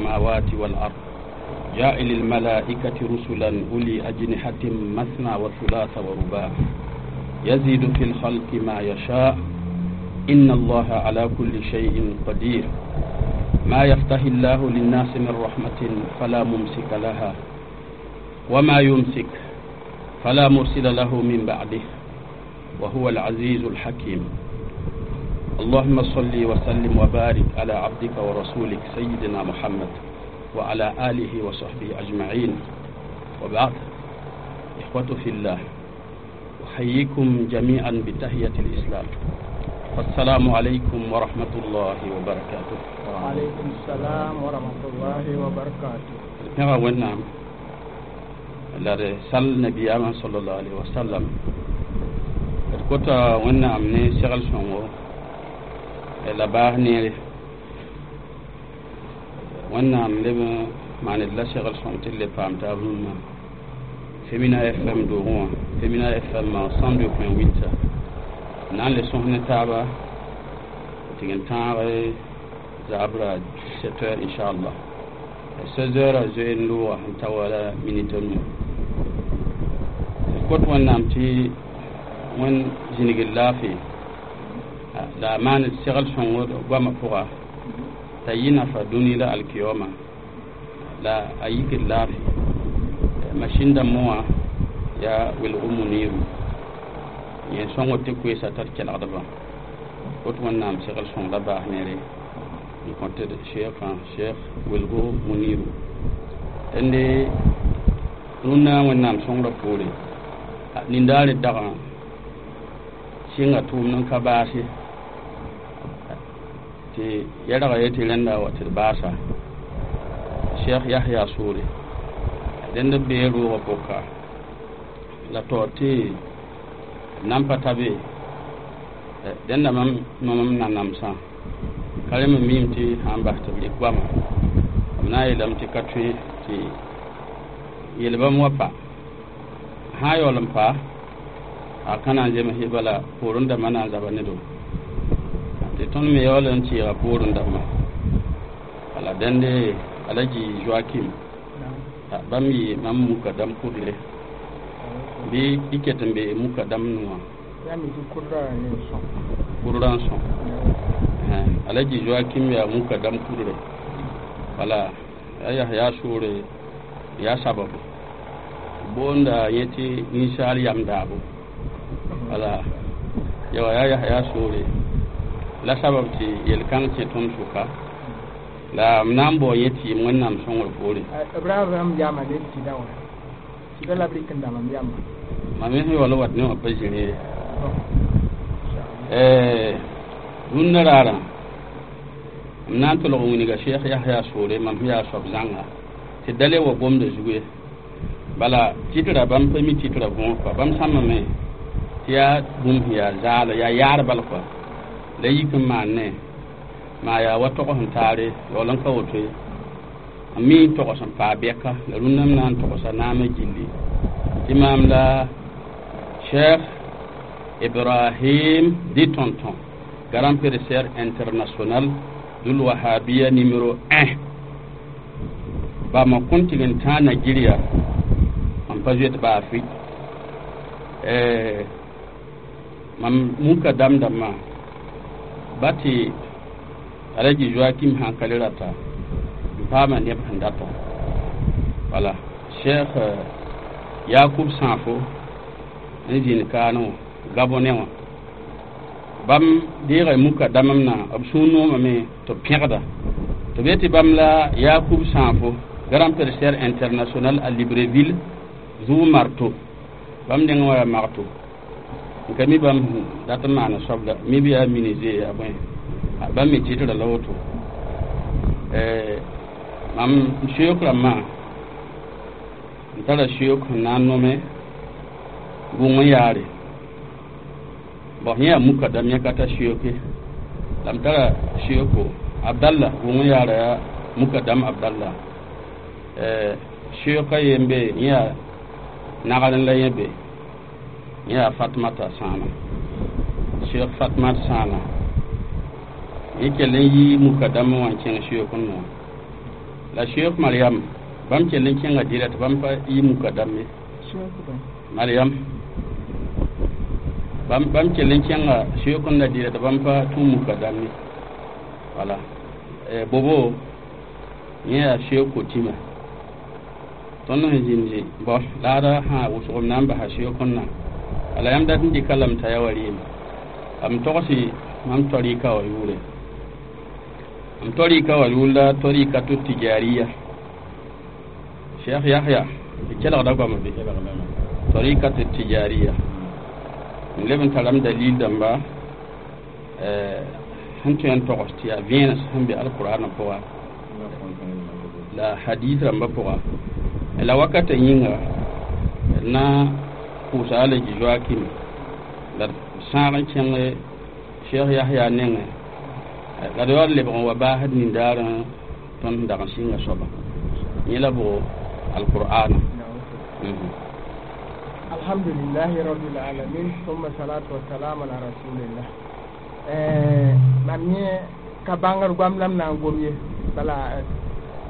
السماوات والأرض جاعل الملائكة رسلا أولي أجنحة مثنى وثلاث ورباع يزيد في الخلق ما يشاء إن الله على كل شيء قدير ما يفتح الله للناس من رحمة فلا ممسك لها وما يمسك فلا مرسل له من بعده وهو العزيز الحكيم اللهم صل وسلم وبارك على عبدك ورسولك سيدنا محمد وعلى آله وصحبه أجمعين وبعد إخوة في الله أحييكم جميعا بتحية الإسلام فالسلام عليكم ورحمة الله وبركاته وعليكم السلام ورحمة الله وبركاته pẽga Wẽnnaam la d sal nabiyaamã sallallahu alaihi wasallam d kota Wẽnnaam ne segl sõngo la baas neere Wẽnnaam leb n maan d la segl sõng tɩ d le paam taab rũnnã Femina FM doogẽ wã, Femina FM 102.8 na n le sõs ne taaba tɩ n tãag zaabra 17 heures inchallah 16 heures zoe n looga n ta wala minit nu d kot Wẽnnaam tɩ Wẽnd zĩnigd laafɩ la a maan segl sõngo goamã pʋga t'a yɩ nafa dũni la alkiyoma la a yikd laafɩ machine dãmbẽ wã yaa welg muniru yẽ sõngd tɩ koeesa t'a d kelgdbã kot Wẽnnaam segl sõng la baas neere n kõ tɩ d cheikã cheikh welgo muniru tẽnde rũnnã Wẽnnaam sõngrã poore nindaare dagã sɩnga tʋʋmd n ka baase tɩ yɛlga ye tɩ rẽnda wa tɩ d baasa cheikh Yahya soore rẽnd b bee roogã pʋka la taoor tɩ nan pa ta be dẽnda mam nomem nanamsã ka rẽ me miime tɩ sã n bas tɩ b rɩk goamã b na n yeelame tɩ ka tõe tɩ yel-bãmb wa pa sã n yaool n pa a ka na n zems bala poorẽ dãmbã na n zaba ne do tɩ tõnd me yaool n tɩɩga poorẽ dãmbã wala dẽnde Alaji Joakim bãmb yɩ mam mukadam kudre bɩ y ket n be mukadam nʋwã kurrã n sõ Alaji Joakim yaa mukadam kudre wala yaa Yahya soore yaa sababu boonda yẽ tɩ ninsaal yam daabo wala yawa yaa Yahya soore la sabab tɩ yel-kãng kẽ tõnd sʋka la m na n bao yẽ tɩ yɩm Wẽnnaam sõngr poore Ibrahim yama ne tɩda wã tɩda la b rɩk n dãmam yamba mam me sẽn yaool n wat ne wã pa zĩri ye rũnnã raarã m na n tolg n wilga cheikh Yahya soore mam sẽn yaa soab zãnga tɩ da le wa gomda zugu ye bala tɩtra bãmb pa mi tɩtra võor kɔa bãmb sãmbame tɩ yaa bũmb sẽn yaa zaala yaa yaar bal kɔa la yik n maan ne maa yaa wa tog sẽn taare yaool n ka woto ye n mi n togs n paa bɛka la rũnnã m na n togsa naamã gilli tɩ maam la cheikh Ibrahim dit tonton grand professeur international dul wahabia numéro 1 bama kõn tɩg n tãag Nigeria mam pa zoet ba Afrique mam muka dam dãmbã ba tɩ Alaji Joakim sã n ka le rata n paama neb sẽn data wala cheikh Yakub Sãafo n zĩnd kaane wã Gabonais wã bãmb deega muka dãmb na b sũur noomame tɩ b pẽgda tɩ b yetɩ bãmb la Yakub Sãafo grand professeur international à Libreville zʋ marteau bãmb neng wã yaa marteau n ka mi bãmb dat n maana soab la mi bɩ yaa menuisier yaa bõe bãmb me tɩtra la woto mam soeek rãmbã n tara soeek sẽn na n nome gʋng n yaare bon yẽ yaa mukadam yẽ ka ta soeeke la m tara soeeko Abdallah gʋng n yaara yaa mukadam Abdallah soeeka ye n be yẽ yaa nagr n la yẽ be yẽ yaa Fatmata Sãana soeek Fatmat Sãana yẽ kell n yi mukadam wã n kẽng soeek n noa La Cheikh Mariam bãmb kell n kẽnga dɩla tɩ bãmb pa yɩ mukadam ye. Mariam bãmb kell n kẽnga Cheikh n la dɩla tɩ bãmb pa tũ mukadam ye. Wala bobo yẽ yaa Cheikh Kotima tõnd sẽn zĩndi bõ laada sã wʋsg m na n basa Cheikh n na ala yãmb dat n dɩka lame t'a yaa wa rɩɩm m togsi mam tarika wã yʋʋre m tarika wã yʋʋr la tarikatu tijariya Cheikh Yahya d kelgda goama be tarikatu tijariya n leb n tarame dalil dãmba sẽn tõe n togs tɩ yaa vẽenes sẽn be alqurana pʋga la hadis rãmbã pʋga la wakata yĩnga d na pʋʋsa Alaji Joakim la d sãag n kẽng Cheikh Yahya nengẽ la d yaool lebg n wa baasd nindaarã tõnd sẽn dag n sɩnga soaba yẽ la bʋgo alqur'ana. Alhamdulillahi rabbil alamin, thumma salatu wassalam ala rasulillah. Mam yẽ ka bãngr goam la m na n gom ye, bala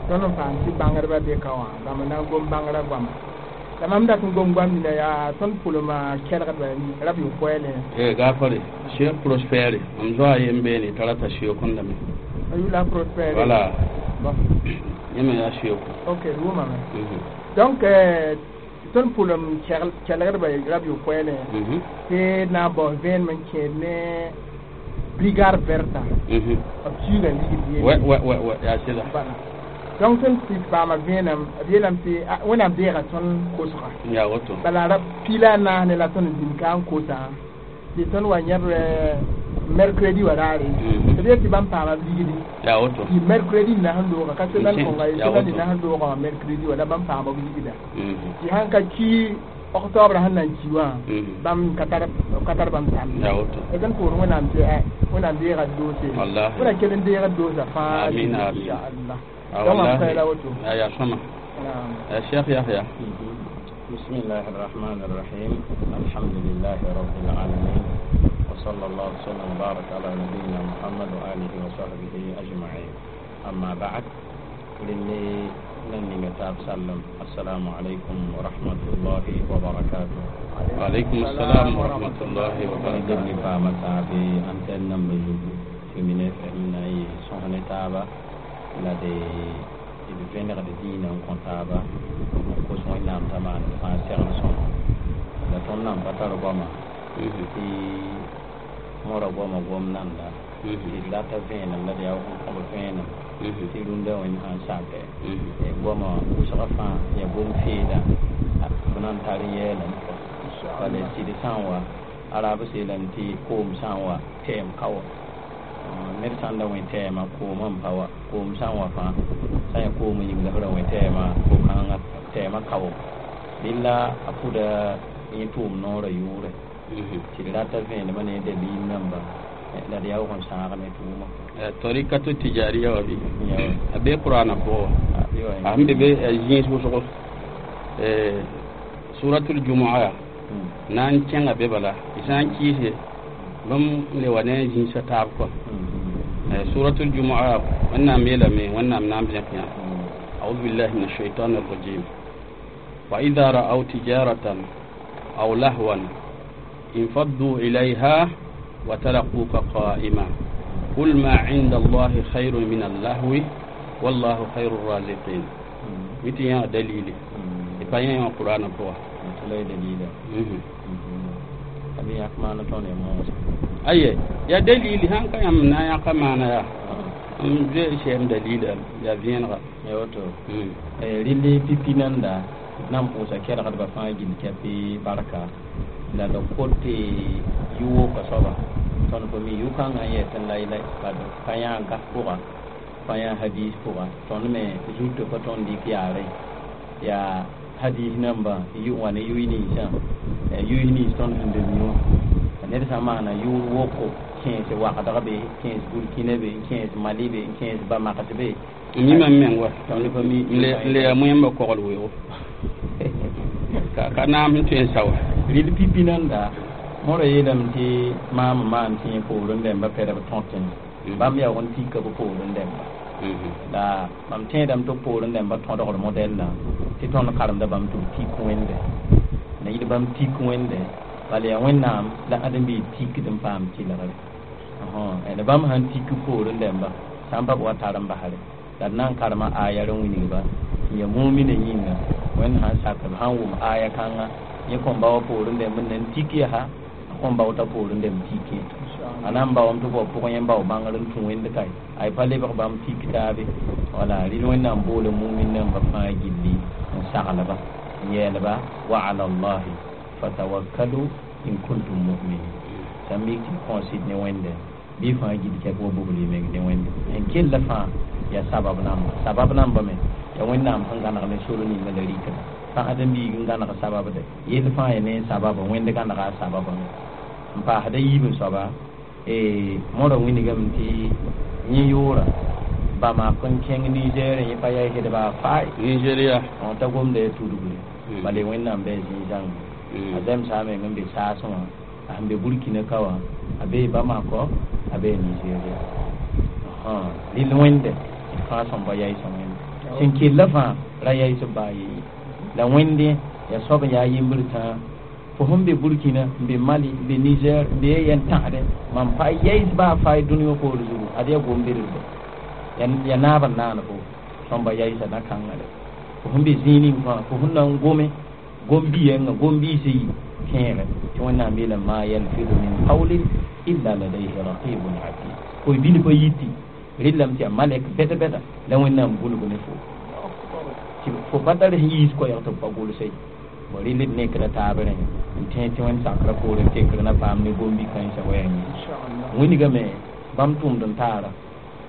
tõnd n paam tɩ bãngdbã be ka wã bãmb na n gom bãngrã goama. La mam dat n gom goam nina yaa tõnd pʋlma kelgdba rab yʋ-koɛɛlẽ. Gaafare Cheikh Prospère mam zoa a yen beene t'a rata Cheikh n lame. A yʋla Prospère. Voilà. Bon. Yẽ me yaa Cheikh. Ok, d wʋmame. Donc tõnd pʋlem kelgdba rab yʋ-koɛɛlẽ tɩ na n bao vẽenem n kẽed ne brigade verte b suuga ligd yelle. Ouais, yaa sɩda. Voilà. Donc tõnd tɩ paama vẽenem b yeelame tɩ Wẽnnaam deega tõnd kosga. Yaa woto. Bala rab pila a naas ne la tõnd n zĩnd ka n kosa tɩ tõnd wa yãb mercredi wa raare tɩ b yet tɩ bãmb paama b ligdi. Yaa woto. Tɩ mercredi na sẽn looga ka semaine kõnga ye semaine na sẽn looga wã mercredi wa la bãmb paama b ligda tɩ sãn ka ki octobre sẽn na n ki wã bãmb ka tar bãmb tãmb. Yaa woto. D pʋʋs Wẽnnaam tɩ Wẽnnaam deega doose. Wallahi. Wẽnnaam kell n deega doosa fãa. Amin, amin. Inchallah. Donc mam ka la woto. Yaa sõma. Cheikh Yahya. بسم الله الرحمن الرحيم، الحمد لله رب العالمين، وصلى الله وسلم وبارك على نبينا محمد وآله وصحبه أجمعين، أما بعد، للي لن نتاب سلم، السلام عليكم ورحمة الله وبركاته. وعليكم السلام ورحمة الله وبركاته. للي فامتا في أنتن نمبر في من فهمنا سهنة تابا la de d vẽnegd dĩinã n kõ taaba n kos Wẽnnaam t'a maan fãa segl sõma la tõnd nan pa tar goama tɩ mõra goama gom nanda tɩ d rata vẽenem la d yaa n kõb vẽenem tɩ rũndã wẽnd sãn sakɛ goama wʋsga fãa yaa gom feeda b na n tar n yɛɛlame kɔ bala sɩd sã n wa araab seelame tɩ koom sã n wa tɛɛm ka wa ned sãn da wẽ tɛɛmã koomã n pa wa koom sã n wa fãa sã n yaa koom yĩng la f ra wẽ tɛɛmã ko-kãngã tɛɛmã kao dẽla a pʋda yẽ tʋʋm noorã yʋʋrɛ tɩ d rata vẽenemã ne dalil namba la d yaoog n sãag ne tʋʋmã. Tarikatu tijariya wa bɩ a be qur'ana pʋgã a sẽn be be zĩis wʋsgo suratul jumua na n kẽnga be bala y sã n kɩɩse bãmb le wa ne zĩisã taab kɔ suratul jumua Wẽnnaam yeelame Wẽnnaam na n zẽk yã: أعوذ بالله من الشيطان الرجيم، وإذا رأوا تجارة أو لهوا انفضوا إليها وتركوك قائما قل ما عند الله خير من اللهو والله خير الرازقين. متى يا دليل يبين يا القرآن بوا. La dalila abi yak maana tõnd ya moosã. Aye ya dalili sãn ka yãmb na n yãka maana yaa m zoe sɛm dalila yaa vẽenega. Ya woto rɩle pipi nanda d na n pʋʋsa kelgdbã fãa gill kɛpɩ barka la d kot tɩ yʋ-woka soaba tõnd pa mi yʋ-kãngã n yɛs n laylay bad pa yã gas pʋga pa yã hadis pʋga tõnd me zutã pa tõnd dɩk yaare yaa hadis namba wa ne yʋy ninsã yʋy nins tõnd sẽn be mi wã ned sã n maana yʋʋr woko kẽes wakdg be kẽes Burkina be kẽes Mali be kẽes Bamaks be. M yĩmam meng wa. Tõnd pa mi. N le yaa moẽmbã kogl weoogo ka naam sẽn tõe n sa wa. Rɩl pipi nanda mõra yeelame tɩ maam n maan tẽ poorẽ dẽmba pɛdb tõtẽ bãmb yaoog n tika b poorẽ dẽmba. La mam tẽedame tɩ b poorẽ dãmbã tõdgr modɛl-la tɩ tõnd karemda bãmb tɩ b tik wẽnde na yɩl bãmb tik wẽnde bala yaa wẽnnaam la ãdem-biig tikd n paam tɩlgre la bãmb sãn tik poorẽ dãmba sã n pa b wa tar n basre la d na n karema aya rẽ wilgba tɩ ya mumina yĩnga wẽnd sãn sak b sãn wʋm aya kãnga yẽ kõn ba wa poorẽ dãmb n nan tik yaa a kõn bao t'a poorẽ dãmb tikẽ a na n baoame tɩ b wa pʋgẽ yẽ bao bãngr n tũ wẽnd kae ay pa lebg bãmb tik taabe wala rɩl wẽnnaam boola mumin namba fãa gilli n saglba n yeelba wa ala llahi fatawakkalu in kuntum muminin sã n mik tɩ y kõo sɩd ne wẽnde bɩ fãa gil kɛp wa bugl y meng ne wẽnde n kella fãa yaa sabab namba sabab namba me yaa wẽnnaam sẽn gãneg ne sor ninga la rɩkda fãa ãdem-biig n gãneg sababde yell fãa yaa ne sababa wẽnd gãnega a sababame n paasda yiib n soaba mõra wilgame tɩ yẽ yoora Bamako n kẽng Niger yẽ pa yaa hedba faay Nigeria t'a gomda ya tudgre bala wẽnnaam bɩ a zĩig-zãnga a zɛmsa meng n be saasẽ wã a sẽn be Burkina ka wã a bee Bamako a bee Nigeria rɩl wẽnde d fãa sõmba yaɩsã wẽnde sẽn kella fãa ra yaɩsb baa ye la wẽnde yaa soab n yaa yembr tãa fo sẽn be Burkina n be Mali n be Niger n be yɛn tãsdẽ mam pa yaɩs baa faay dũni wã poor zugu ad yaa gom-bedrba yaa naab n naan fo sõmba yaɩsa na-kãngã de fo sẽn be zĩig ning fãa fo sẽn na n gome gom-bi-yẽnga gom-biisã yi kẽere tɩ wẽnnaam yeelame maa yalfidu min qawlin illa ladayhi raqibun atid koy bil pa yiti rɩllame tɩ yaa malɛk bɛd-bɛda la wẽnnaam gʋlg ne fo tɩ fo pa tar sẽn yiis koɛɛg tɩ b pa gʋlse ye rɩl d nekda taab rẽ n tẽ tɩ wẽnd sakrã poorẽ tekr na paam ne gom-bi-kãensã wɛɛng ye wilgame bãmb tʋʋmd n taara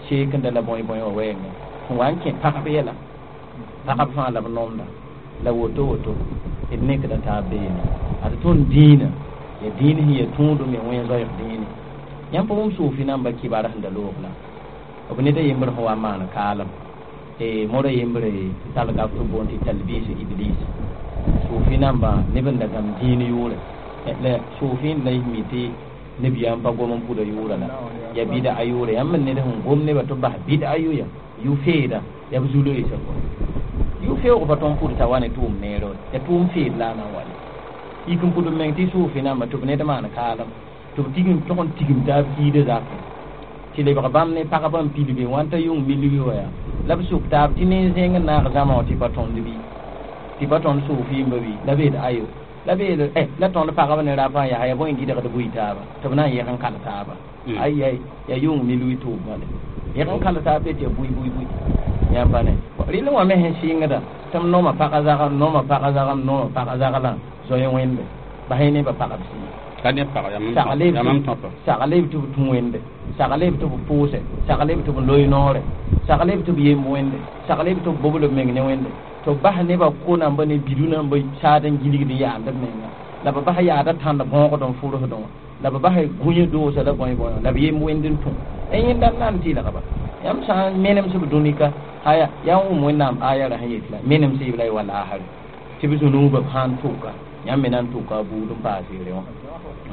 seekenda la bõe-bõe wã wɛɛngã sẽn wa n kẽ pagb yɛla pagb fãa la b nomda la woto woto d nekda taab beene ad tõnd dĩinã ya dĩin sẽn ya tũudem ya wẽn zoɛɛg dĩine yãmb pa wʋm suufi namba kibar sẽn da loog la b ned a yembr sẽn wa n maan kaalem mora yembre tɩ tall gaf tɩ b boond tɩ talbis iblis suufi namba neb n da gãmb dĩin yʋʋre la suufi n la y mi tɩ neb yaa n pa gom n pʋda yʋʋra la yaa bɩda a yʋʋre yãmb n ned sẽn gom nebã tɩ b bas bɩda a yʋya yʋ-feeda yaa b zu-loeesã kɔ yʋ-feoog pa tõnd pʋd t'a wa ne tʋʋm neere yaa tʋʋm feed la a na n wa le yik n pʋd b meng tɩ suufi namba tɩ b ned maan kaalem tɩ b tigim tog n tigim taab kiida zakẽ tɩ lebg bãmb ne pagba n pilge wãn t'a yʋng milgi wa yaa la b sʋk taab tɩ nen-zẽng n naag zãma wã tɩ pa tõnd bɩ tɩ pa tõnd suufɩɩmba bɩ la beed ayo la beed la tõnd pagb ne rapa n yaa yaa bõe n gɩdgd bʋɩ taaba tɩ b na n yẽg n kal taaba ay ay yaa yʋng milgi tʋʋmã le yẽg n kal taab be tɩ yaa bʋɩ bʋɩ bʋɩ yãmb pa ne rɩl wã me sẽn sɩngda tɩ m nooma pagã zagam nooma pagã zagam nooma pagã zaglã zoe wẽnde bas yẽ nebã pagb sɩ ka ne pag yamam tõpa sagle b tɩ b tũ wẽnde sagle b tɩ b pʋʋse sagle b tɩ b loe noore sagle b tɩ b yemb wẽnde sagle b tɩ b bobl b meng ne wẽnde tɩ b bas nebã ko namba ne bidu namba saad n gilgd n yaand b menga la b bas yaada tãnd bõogd n fʋrsdẽ wã la b bas gũyã doosa la bõe bõe la b yemb wẽnd n tũ yẽnda n nan tɩlgba yãmb sã n menems b dũnika aya yaa n wʋm wẽnnaam aya ra sẽn yet la menems y b la y wa laasre tɩ b zũnuubã b sã n tʋka yãmb me na n tʋka a buud n paas yere wã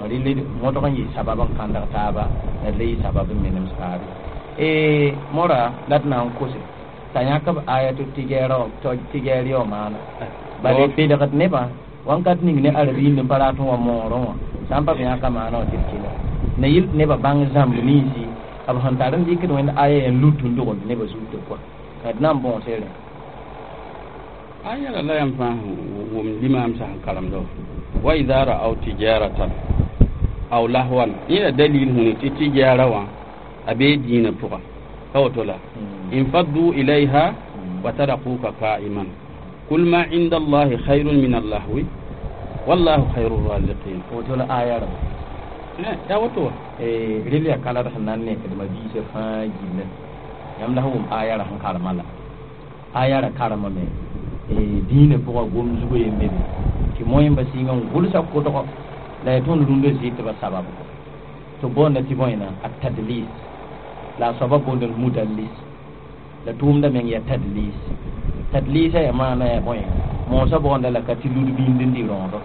rɩl modg n yɩ sabab n kãndg taaba la d la yɩ sabab n menems taabe mora la d na n kose t'a yãk b aya tɩ tɩgɛɛr yaoo maana bala belgd nebã wãnkat ning ne arabiind n pa rat n wa moorẽ wã sã n pa b yãka maana wã tɩ d kela na yɩl tɩ nebã bãng zãmb ninsi b sẽn tar n dɩkd wẽnd aya yaa n lut n dogend nebã zutã kɔa d na n bõose rẽ aya la la yãmb fãa wʋm limaam sã n karemda wa ida ra'aw tijaratan aw lahwan yẽla dalil hũni tɩ tijara wã a bee dĩinã pʋga pa woto la infaddu ilayha wa tarakuka qa'iman kul ma inda allahi khayrun min allahwi wallahu khayru raziqin woto la aya ra ya woto wa rel yaa kalad sẽn na n nekdmã biisã fãa gilla yãmb la sẽn wʋm aya ra sẽn karema la aya ra karemame dĩinã pʋga gom zugã yembe be tɩ moẽmba sɩnga n gʋlsa kʋdgɔ la yaa tõnd rũndã zɩtbã sabab kɔ tɩ boonda tɩ bõena a tadlis la a soaba boond mudallis la tʋʋmda meng yaa tadlis tadlisa yaa maana yaa bõe moosã boonda la ka tɩ lud bĩnd n dɩ rõodo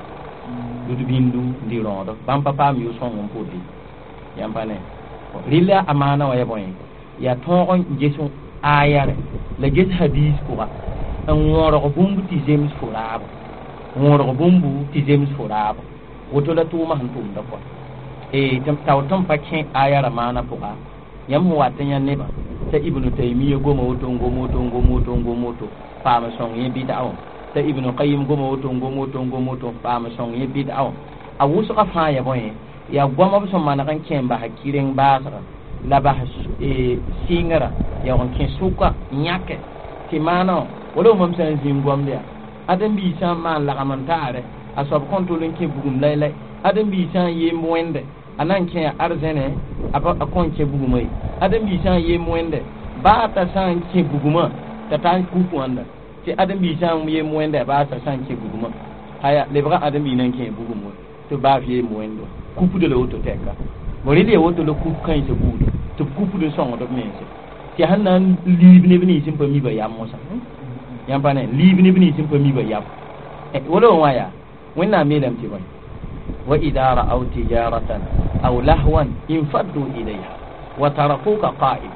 lud bĩndu n dɩ rõodo bãmb pa paam yʋ-sõng n pʋdɩ yãmb pa ne rɩla a maana wã yaa bõe yaa tõog n ges Aya rẽ la ges hadis pʋga n wõrg bũmb tɩ zems fo raabo wõrg bũmbu tɩ zems fo raabo woto la tʋʋmã sẽn tʋmda kɔa tao tõnd pa kẽ aya ra maana pʋga yãmb sẽn wat n yã nebã t'a Ibnu Taymiya goma woto n gom woto n gom woto n gom woto paam sõng yẽ bɩd'a wã t'a Ibnu Qayim goma woto n gom woto n gom woto paam sõng yẽ bɩd'a wã a wʋsgã fãa ya bõe yaa goamã b sẽn maneg n kẽ n bas kireng baasga la bas sɩngrã yaa n kẽ sʋka n yãke tɩ maana wã wala mam sã n zĩ n gomd yaa ãdem-biig sã n maan lagem n taare a soab kõn tol n kẽ bugum laylay ãdem-biig sã n yemb wẽnde a na n kẽ arzẽne a kõn kẽ bugumã ye ãdem-biig sã n yemb wẽnde baa t'a sã n kẽ bugumã t'a tar kuku wãnda tɩ ãdem-biig sã n yemb wẽnde baa t'a sã n kẽ bugumã aya lebga ãdem-biig na n kẽ bugum wã tɩ baa f yemb wẽnd wã kupda la woto tɛka bõ rel ya woto la kup kãensã buuda tɩ b kupd n sõngd b mense tɩ sẽn na n liib neb nins n pa mi ba yam mosã yãmb pa ne liib neb nins n pa mi ba yam wala wã yaa wẽnnaam yeelame tɩ bõe wa ida ra'aw tijaratan aw lahwan infaddu ilayha wa tarakuka qa'im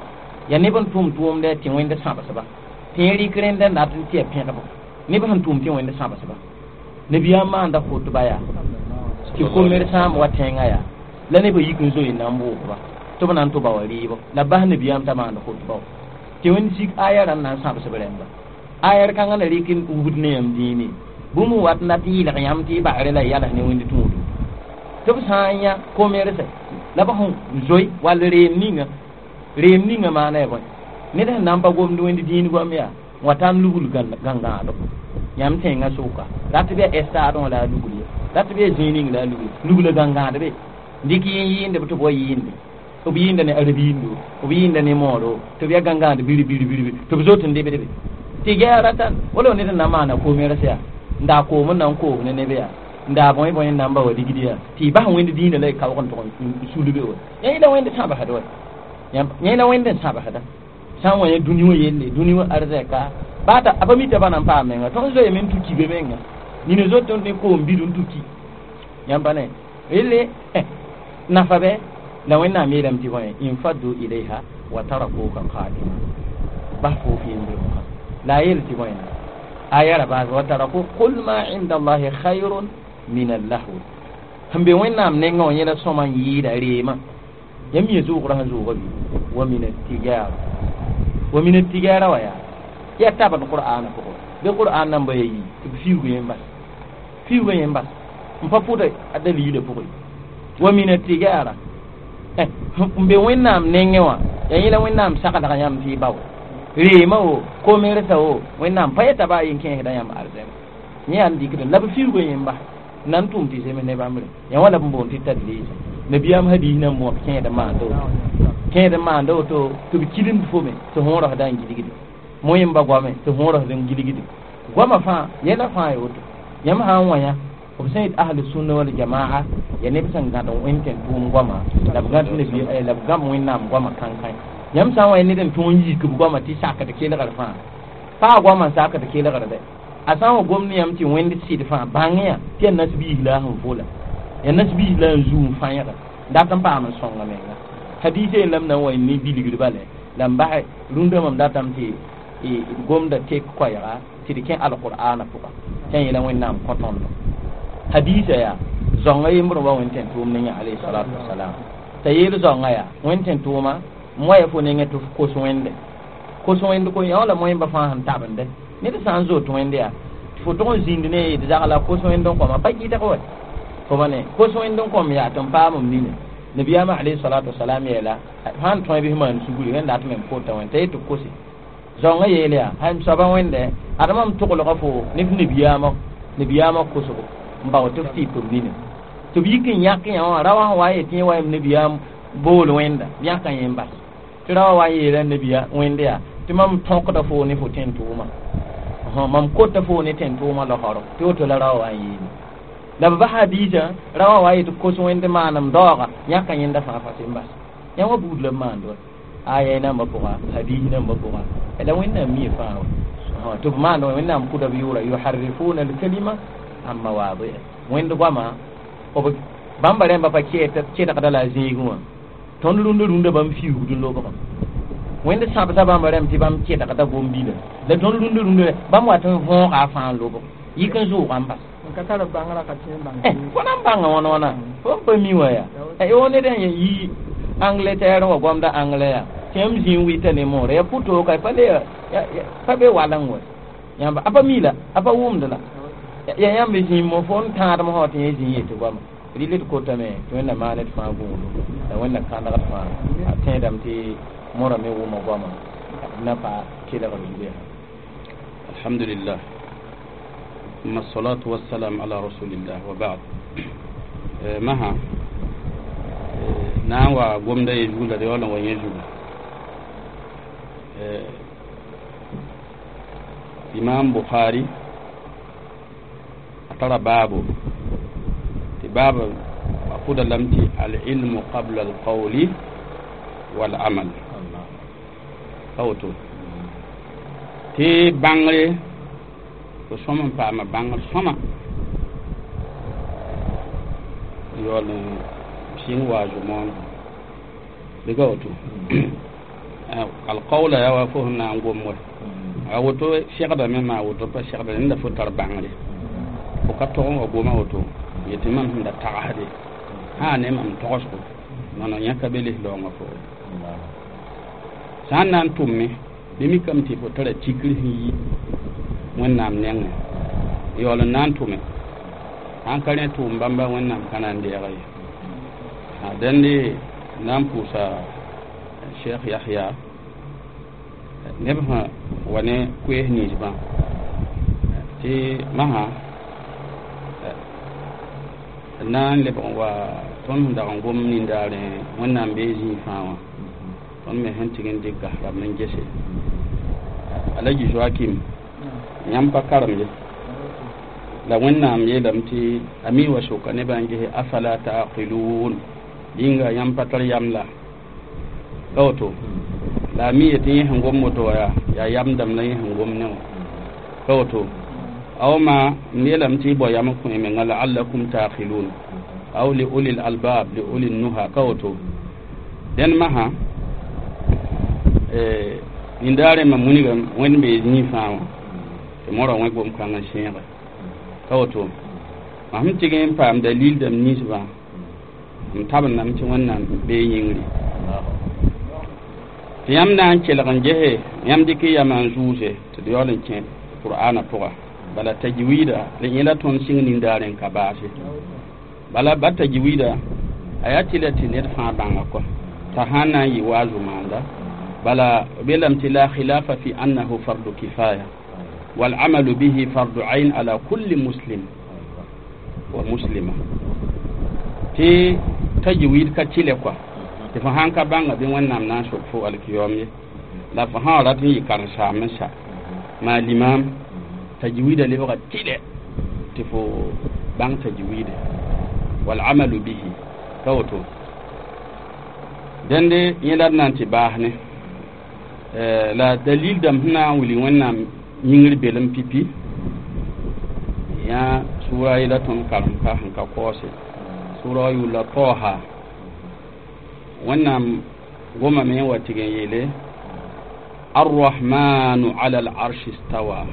ya neb n tʋm tʋʋmdɛ tɩ wẽnd sãbsba tɩ yẽ rɩk rẽnda n dat n tɩ ya pẽgbo neb sẽn tʋm tɩ wẽnd sãbsba nabiyaam maanda khutba yaa tɩ komer sãam wa tẽngã yaa la nebã yik n zoe n na n bʋʋgba tɩ b na n tʋ ba wa rɩɩbɔ la bas nabiyaam t'a maand khutba wã tɩ wẽnd sik aya rãnd na n sãbsb rẽmba aya kãngã la rɩk n wubd ne yãmb dĩine bũmb n wat n dat n yɩlg yãmb tɩ y bagre la y yals ne wẽnd tũudu tɩ b sã n yã komersɛ la b sẽn zoe wall reem ninga maana ya bõe ned sẽn na n pa gomd wẽnd dĩin goam yaa wã tãn lugl gãngãado yãmb tẽngã sʋka rat bɩ a estaadẽ wã la a lugl ye rat bɩ a zĩig ning la a lugl lugla gãngãad be dɩk yẽ yɩɩnde b tɩ b wa yɩɩnde b yɩɩnda ne arabiindo b yɩɩnda ne mooro tɩ b yaa gãngãad biri biri biri tɩ b zot n debdbe tɩ gɛa ratan wala ned n na n maana komers yaa n daa koom n na n koos ne neb yaa n daa bõe bõe n na n ba wa rigd yaa tɩ y bas wẽnd dĩinã la y kaoog n tʋg n sulbe wa yẽ la wẽnd sãbsd wa yẽ la wẽnd n sãbsda sã n wa yã dũni wã yelle dũni wã arzɛka baa t'a a pa mita ba na n paam menga tõnd zoeeme n tuki be menga nina zot ne koom bid n tuki yãmb pa ne relle nafa bɛ la wẽnnaam yeelame tɩ bõe infaddu ilayha wa tarakuka qa'ima bas fo f yembremsã la a yeel tɩ bõe aya ra baas wa taraku qul ma inda allahi khayrun min allahwi sẽn be wẽnnaam nengã wã yẽla sõma n yɩɩda reemã yãmb yẽ zʋʋgrã sẽn zʋʋga bɩ wa min attijara wa min attijara wa yaa yaa tabd qur'aana pʋgẽ bɩ qur'an nan ba ya yi tɩ b fiuug yẽ n bas fiuugã yẽ n bas n pa pʋda a dalilã pʋgẽ wa min attijara n be wẽnnaam nengẽ wã yaa yẽla wẽnnaam saglg yãmb tɩ y bao reemã wo komersã wo wẽnnaam pa yeta baa yen kẽesda yãmb arzɛma yẽ yaa n dɩkd la b fiuugã yẽ n bas n na n tʋʋm tɩ zems ne bãmb rẽ yã wã la b n boond tɩ tadlisa nabiyaam hadis nan bõo kẽed n maanda woto kẽed n maanda woto tɩ b kilimd fo me tɩ võorasda n gilgde moẽmba goame tɩ võorasd n gilgde goamã fãa yɛla fãa ya woto yãmb sã n wa yã b sẽn yet ahlu sunna wal jamaa ya neb sẽn gãd wẽnd tẽn tʋʋm goama la b gãd la b gãb wẽnnaam goamã kãnkãe yãmb sã n wa ya ned n tõog n yik b goamã tɩ sakd kelgr fãa paa goamã n sakd kelgr dɛ a sã n wa gomd yãmb tɩ wẽnd sɩd fãa bãng yã tɩ yaa nasbiis la a sẽn vola yaa nasbiis la n zuu n fãẽga dat n paam n sõnga menga hadisa yen la m na n wa ne bilgd bale la n basɛ rũndã mam datame tɩ gomda tek koɛɛga tɩ d kẽ alqur'ana pʋga tɩ yẽla wẽnnaam kõ tõndo hadisa yaa zãongã yembr wa wẽnd tẽn tʋʋm ne yã alayhi salatu wasalam t'a yeel zãongã yaa wẽnd tẽn tʋʋma m wa ya fo nengẽ tɩ f kos wẽnde kos wẽnd ko yã wala moẽmba fãa sẽn tabende ned sã n zoet wẽnd yaa tɩ fo tʋg n zĩnd ne d zagla kos wẽnd n kõma pa gɩdg wa fo ba ne kos wẽnd n kõm yaa tɩ n paam m nina nabiyaamã alayhi salatu wasalam yeela sãn tõe bɩ maan sugri wẽnd dat me n pota wẽnd t'a yet tɩ kose zãongã yeel yaa m soaba wẽnde ad mam toglga fo ne f nabiyaamã kosgo n bao tɩ f tɩ p nina tɩ b yik n yãk yã wã ra wã sẽn wa n yetɩ yẽ wa yem nabiyaam bool wẽnda yãka yẽ n bas tɩ ra wã wa n yeela nabiya wẽnd yaa tɩ mam tõkda fo ne fo tẽn tʋʋma mam kota fo ne tẽn tʋʋma losoro tɩ woto la ra wã wa n yeele la b bas hadiisã ra wã wa yetɩ kos wẽnd maanem daooga yãka yẽnda fãa fa sẽn bas yã wã buud la b maand wa aya nambã pʋga hadiis nambã pʋga la wẽnnaam mie fãa wa tɩ b maand wẽnnaam kʋda b yʋʋra yuharrifuna alkalima an mawaadi'a wẽnd goamã bãmba rẽmba pa kẽdgda la a zĩigẽ wã tõnd rũndã rũndã bãmb fiuugd n lobgã Wẽnd sãbda bãmb rẽmb tɩ bãmb kelgda gom-bila la tõnd rũndã rũndã bãmb wat n võoga a fãa n lobg yik n zʋʋga n bas. N ka tar bãngrã ka tẽ n bãng fo na n bãnga wãna wãna fo n pa mi wã yaa ned n yi Angleterre wã goamda anglais yaa tɩ yãmb zĩ n wɩta ne moore yaa pʋ-tooka pa le pa be waleng wɛ yãmba a pa mi la a pa wʋmd la ya yãmb zĩ mo fo n tãadem sã tɩ yẽ zĩ n yetɩ goama rɩl d kotame tɩ wẽnnaam maan d fãa gũudu la wẽnna kãndgd fãa a tẽedame tɩ morã me wʋma goama na pa kelgr zugu yaa. Alhamdulillah, ثم الصلاة والسلام على رسول الله وبعد. Maha na n wa gomda ye zugu la d yaool n wa yẽ zugu Imam Bukhari a tara baabo tɩ baaba a pʋda lame tɩ alilmu qabla alqawli walamal pa woto tɩ bãngre fo sõm n paama bãngr sõma yaool n sɩng wa zʋ-moonega bɩ ka woto alqawla yaa wa fo sẽn na n gom wɛ a woto segdame maa woto pa segda rẽnda fo tar bãngre fo ka tog n wa goma woto yetɩ mam sẽn da tagsde sã ne mam togsgo nono yãka be les laoongã pʋgẽ sã n na n tʋmme bɩ mikame tɩ fo tara tikr sẽn yi wẽnnaam nengẽ yaool n na n tʋme sãn ka rẽ tʋʋm bãmba wẽnnaam ka na n deega ye dẽnde na n pʋʋsa Cheikh Yahya neb sã wa ne koees ninsbã tɩ masã na n lebg n wa tõnd sẽn dag n gom nindaarẽ wẽnnaam bee zĩig fãa wã tõnd me sẽn tɩg n dɩk gas-rãmb n gese Alaji Joakim yãmb pa karem ye la wẽnnaam yeelame tɩ a mi wa soka nebã n gese afala taqilun yĩnga yãmb pa tar yam la ka woto la a mi yetɩ yẽ sẽn gom woto wa yaa yam dãmb la yẽ sẽn gom ne wã ka woto aw ma m yeelame tɩ y bao yam n kõ y menga laallakum taqilun aw li ulil albab li ulil nuha ka woto dẽnd masã nindaarẽ ma munigame wẽnd bee zĩig fãa wã tɩ morã wẽ gom-kãng n sẽege ka woto mam sẽn tɩg n paam dalil dãmb ninsbã m tabendame tɩ wẽnnaam bee yĩngri tɩ yãmb na n kelg n gese yãmb dɩk y yamã n zʋʋse tɩ d yaool n kẽ qur'ana pʋga bala tajwida la yẽla tõnd sɩng nindaarẽ n ka baase bala ba tajwida a yaa tɩ la tɩ ned fãa bãnga kɔa t'a sã n na n yɩ wa zʋmaanda bala belame tɩ la khilafa fi annahu fardu kifaya والعمل به فرض عين على كل مسلم ومسلمة tɩ tajwid ka tɩlɛ kɔa tɩ fo sãn ka bãnga bɩ wẽnnaam na n sok fo alkiyom ye la fo sã wa rat n yɩ karen-saam n sa maa limam tajwida lebga tɩlɛ tɩ fo bãng tajwide walamalu bihi ka woto dẽnde yẽ la d na n tɩ baas ne la dalil dãmb sẽn na n wilg wẽnnaam yĩngr belem pipi yã sʋra yela tõnd karem ka sẽn ka kaoose sʋra wa yʋʋla taoha wẽnnaam gomame n wa tɩg n yeele arrahmanu ala alarshi stawa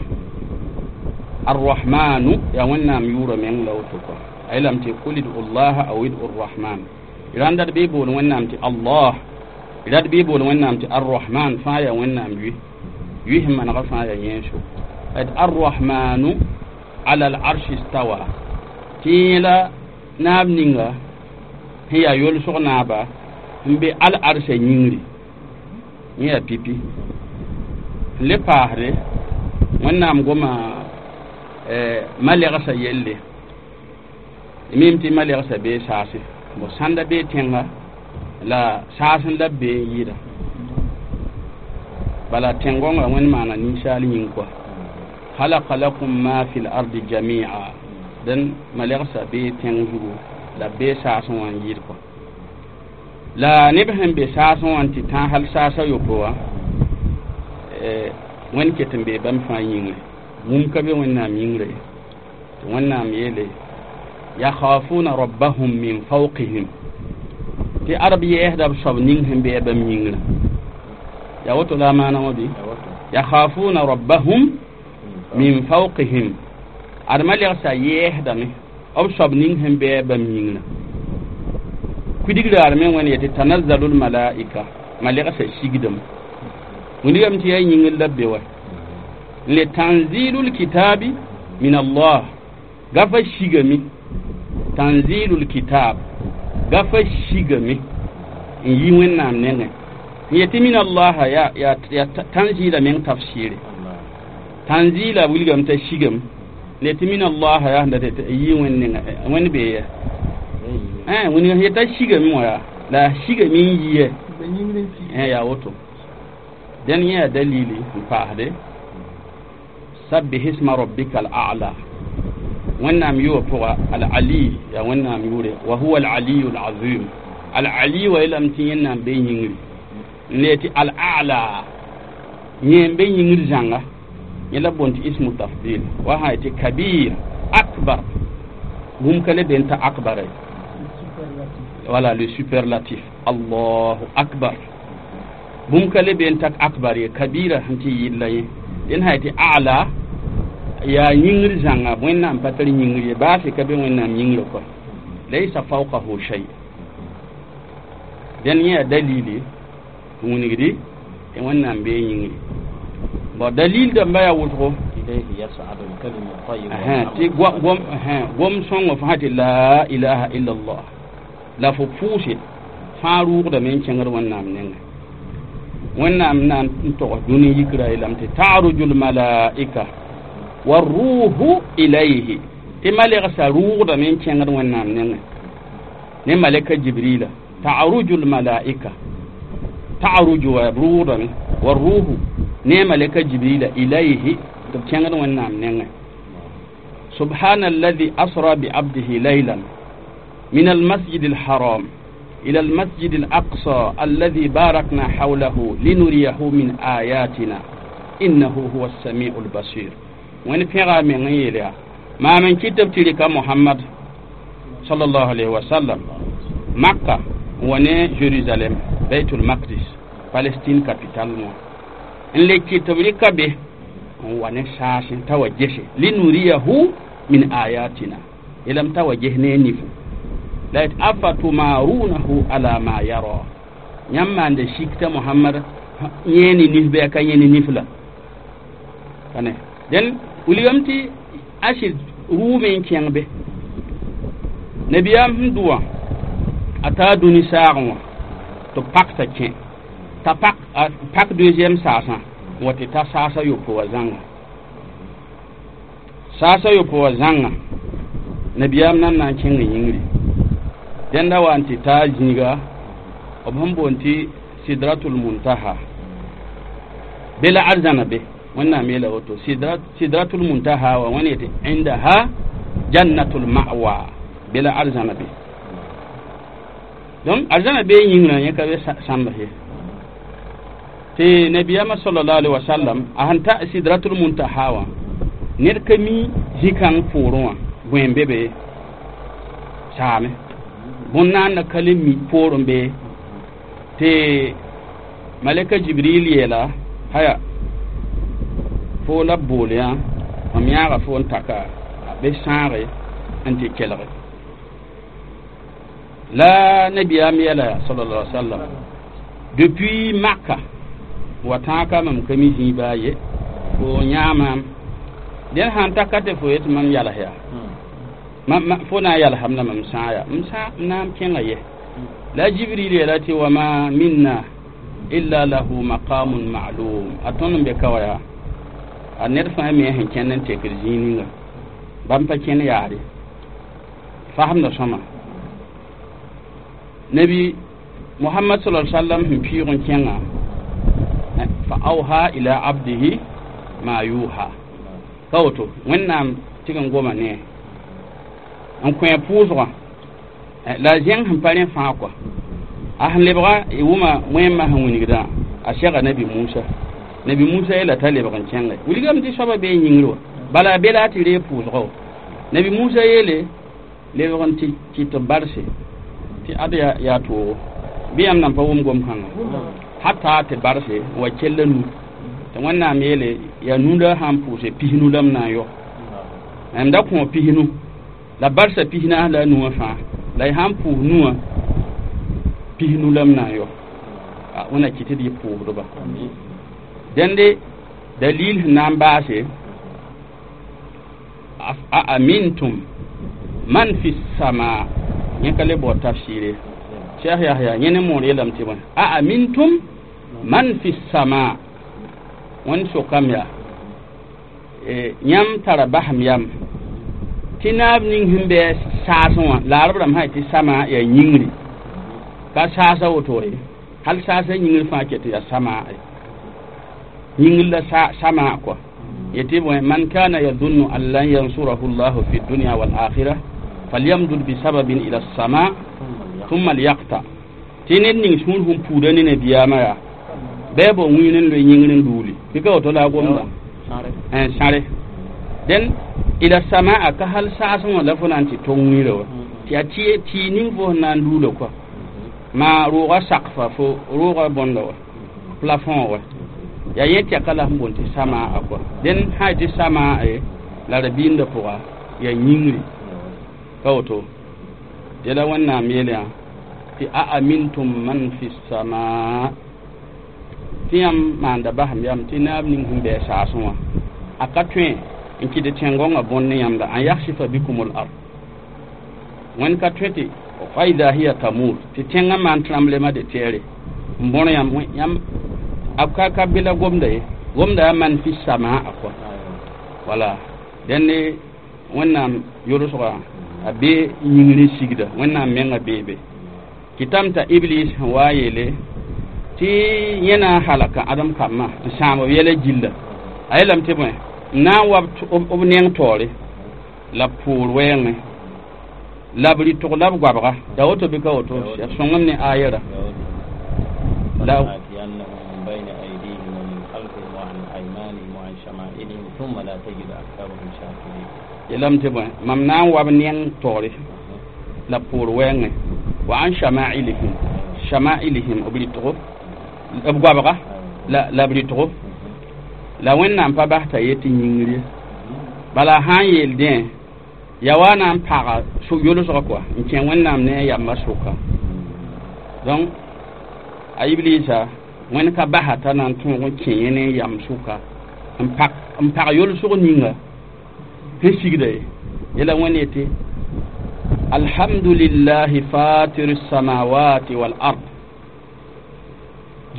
arrahmanu yaa wẽnnaam yʋʋra meng la woto kɔa a yeelame tɩ qul idu llaha aw idu rrahman rãnda d bɩ bool wẽnnaam tɩ allah rad bɩ bool wẽnnaam tɩ arrahman fãa yaa wẽnnaam yʋ yʋ sẽn manega fãa yaa yẽenso d arrahmanu ala alarshi stawa tɩ yẽla naab ninga sẽn yaa yolsg naaba n be al-arsa yĩngri yẽ yaa pipi n le paasde wẽnnaam goma malegsã yelle mim tɩ malegsã bee saase bo sãnda bee tẽnga la saas n la b bee n yɩɩda bala tẽn-gõngã wẽnd maana ninsaal yĩng kɔa halaka lakum ma fi lardi jamia dẽn malegsã bee tẽng zugu la b bee saasẽ wã n yɩɩd kɔa la neb sẽn be saasẽ wã n tɩ tã hal saasa yopoe wã wẽnd ket n bee bãmb fãa yĩngre wũm ka be wẽnnaam yĩngre tɩ wẽnnaam yeele yakhafuna rabbahum min fawqihim tɩ arab yɛɛsda b soab ning sẽn bɩa bãmb yĩngrã Ya woto la maana wã bɩ yakhafuna rabbahum min fawqihim. Adma lɛgsa yɛɛsdame b soab ning sẽn bɩ bãmb yĩngrã kuidigdaar me wẽnd yetɩ tanazzalu lmalaika ma lɛgsa sigdame wilgame tɩ yaa yĩngr la b be wa n le tanzilul kitabi min allah gafa sigame tanzilul kitab gafa sigame n yi wẽnnaam nengẽ n yetɩ min allah ya tanzila meng tafsire tanzila wilgame t'a sigame le tɩ min allah yaa sẽn dat yi wẽnd nenga wẽnd bee ya wẽnd yeta sigame wã yaa la sigame n yi yɛ yaa woto dẽn yẽ yaa dalili n paasde sabbih isma rabbika al-a'la wẽnnaam yʋa pʋga al-ali yaa wẽnnaam yʋʋre wa huwa al-aliyu al-azim al-ali wa yeelame tɩ yẽnnaam be yĩngri n le tɩ al-a'la yẽ n be yĩngr zãnga yẽ la boond tɩ ismu tafdil wa sã tɩ kabir akbar bũmb ka le be n ta akbara voilà le superlatif allahu akbar bũmb ka le be n tak akbar ye kabira sẽn tɩ yɩlla yẽ dẽn sã tɩ a'la yaa yĩngr zãnga wẽnnaam pa tar yĩngr ye baase ka be wẽnnaam yĩngrã kɔa laysa fawqahu shay dẽn yẽ yaa dalili n wilgdi tɩ wẽnnaam bee yĩngri bon dalil dãmba yaa wʋsgo tɩ gom sõngo fãa tɩ la ilaha illallah la fo pʋʋse fãa rʋʋgdame n kẽngd wẽnnaam nengẽ wẽnnaam na n togs dũni yikra yeelame tɩ taruju lmalaika waruhu ilayhi tɩ malɛgsa rʋʋgdame n kẽngd wẽnnaam nengẽ ne malɛka jibrila taruju lmalaika taruju wa rʋʋgdame waruhu ne malɛka jibrila ilayhi tɩ b kẽngd wẽnnaam nengẽ subhana alladhi asra biabdihi laylan min almasjid alharam إلى المسجد الأقصى الذي باركنا حوله لنريه من آياتنا إنه هو السميع البصير وين في من يليا ما من كتب تلك محمد صلى الله عليه وسلم مكة وني جيروسالم بيت المقدس فلسطين capitale مو إن لي كتب لك به وني ساسن توجه لنريه من آياتنا إلم توجه نيفو la yet afatumarunahu ala ma yara yãmb maanda sikta mohamad yẽeni nif bɩ a ka yẽni nif la ane dẽn wilgame tɩ a sɩd rʋʋme n kẽng be nabiyaam sẽn dʋ wã a taa dũni saagẽ wã tɩ b pak t'a kẽ t'a pak deuxième saasã n wa tɩ ta saasa yopoe wã zãnga saasa yopoe wã zãnga nabiyaam nan na n kẽng yĩngri dẽnda wa n tɩ taa zĩiga b sẽn boond tɩ sidratul muntaha be la arzãna be wẽnnaam yeela woto sidratul muntaha wa wẽn yetɩ indaha jannatul ma'wa be la arzãna be donc arzãna be yĩngrã yẽ ka be sãmbs ye tɩ nabiyama sallallahu alaihi wasallam a sẽn ta sidratul muntaha wã ned ka mi zĩ-kãng poorẽ wã gõe be be saame bõn-naanda ka le mi poorẽ be tɩ malɛka jibril yeela haya fo la b bool yã mam yãaga fo n taka be sãage n tɩ kelge la nabiyaam yeela sallallahu alaihi wasallam depuis Makka wa tãaka mam ka mi zĩig baa ye fo yãamam dẽn sãn taka tɩ fo yetɩ mam yals yaa fo na n yalsam la mam sã yaa m sã n na n kẽnga ye la jibril yeela tɩ wama minna illa lahu maqamun ma'lum a tõnd n be ka wa yaa a ned fãa me sẽn kẽnd n tekd zĩig ninga bãmb pa kẽnd yaare fasemda sõma nabi muhammad sallallahu alaihi wasallam sẽn pɩʋg n kẽnga fa awha ila abdihi ma yuha ka woto wẽnnaam tɩg n goma ne n kõ pʋʋsgã la zẽng sẽn pa rẽ fãa kɔa a sẽn lebga y wʋma wẽmã sẽn wilgdã a sɛga nabi musa nabi musa yeela t'a lebg n kẽnge wilgame tɩ soaba bee yĩngr wa bala be la a tɩ reeg pʋʋsga wa nabi musa yeele lebg n tɩ tɩ barse tɩ ad yaa toogo bɩ yãmb nan pa wʋm gom-kãnga Hata tɩ barse wa kell nu tɩ wẽnnaam yeele yaa nunda sãn pʋʋse pisnu la m na n yɔ m da kõ pisnu la barsa pisnaas la a nuwã fãa la y sãn pʋʋs nuwã pisnu la m na n yɔ wẽnna kɩ tɩ d yɩ pʋʋsdba dẽnde dalil sẽn na n baase a amintum man fi sama yẽ ka le bao tafsɩɩre Cheikh Yahya yẽ ne moor yeelame tɩ bõe a amintum man fi sama wẽnd sokame yaa yãmb tara basem yam tɩ naab ning sẽn bɩ saasẽ wã la arab rãmb sã tɩ sama yaa yĩngri ka saasa woto ye hal saasa yĩngr fãa ket yaa sama yĩngr la sama kɔa yetɩ bõe man kana yadunnu an lan yansurahu llahu fi dunya wal akhirah falyamdud bisababin ila sama thumma liyaqta tɩ ned ning sũur sẽn puuda ne nabiyaamã yaa bɩ bao wĩin n loe yĩngr n duuli bɩ ka woto la a gomda sãre dẽn ila samaa ka hal saasẽ wã la fo na n tɩ tong wĩirã wa tɩ yaa tɩ ning fo sẽn na n luula kɔa maa rooga sakfa fo rooga bõnda wa plafond wa yaa yẽ tɛka la sẽn boond tɩ samaa kɔa dẽn sã tɩ samaa la rabiimdã pʋga yaa yĩngri ka woto tɩ la wẽnnaam yeele yã tɩ a amintum man fi samaa tɩ yãmb maanda basem yam tɩ naab ning sẽn bɩ a saasẽ wã a ka tõe n kɩt tẽn-gõngã bõnd ne yãmb la an yaksifa bikum l ard wẽnd ka tõe tɩ faida hiya tamur tɩ tẽngã maan tremblema de tɛɛre n bõr yãmb yãmb a ka be la gomda ye gomda yaa man fi samaa a kɔa wala dẽnde wẽnnaam yolsgã a be yĩngr n sigda wẽnnaam menga beebe kɩtame t'a iblis sẽn wa yeele tɩ yẽ na n halaka ãdem kambã n sãam b yɛla gilla a yeelame tɩ bõe n na n wa b neng taoore la b poor wɛɛngẽ la b rɩtg la b goabga yaa woto bɩ ka woto ya sõngem ne ayɛra la لآتينهم من بين أيديهم ومن خلفهم وعن أيمانهم وعن شمائلهم ثم لا تجد أكثرهم شاكرين yeelame tɩ bõe mam na n wa b neng taoore la poor wɛɛngẽ wa an shama'ilihim shama'ilihim b rɩtgo b goabga la b rɩtgo la wẽnnaam pa bas t'a yet tɩ yĩngr ye bala sã n yeel dẽ ya wa na n paga yolsgã kɔa n kẽ wẽnnaam ne a yambã sʋka donc a iblisa wẽnd ka basa t'a na n tõog n kẽ yẽ ne yam sʋka n pag yolsg ninga sẽn sigda ye yela wẽnd yetɩ alhamdulillahi fatir الsamawati wal ard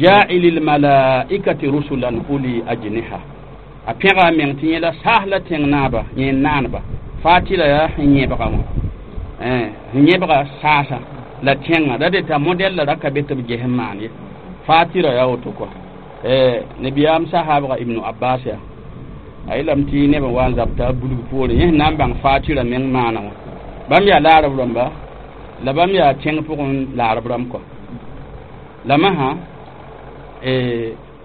جاعل الملائكة رسلا أولي أجنحة a pẽga a meng tɩ yẽ la saas la tẽng naaba yẽ naanba fatira yaa sẽn yẽbga wã sẽn yẽbga saasa la tẽngã ra de t'a modɛl la ra ka be tɩ b ges n maan ye fatira yaa woto kɔa nabiyaam sahaabga ibnu abbas yaa a yeelame tɩ neb n wa n zab t'a bulg poorẽ yẽ sẽn na n bãng fatira meng maana wã bãmb yaa laarb rãmba la bãmb yaa tẽng pʋgẽ laarb rãmb kɔa la masã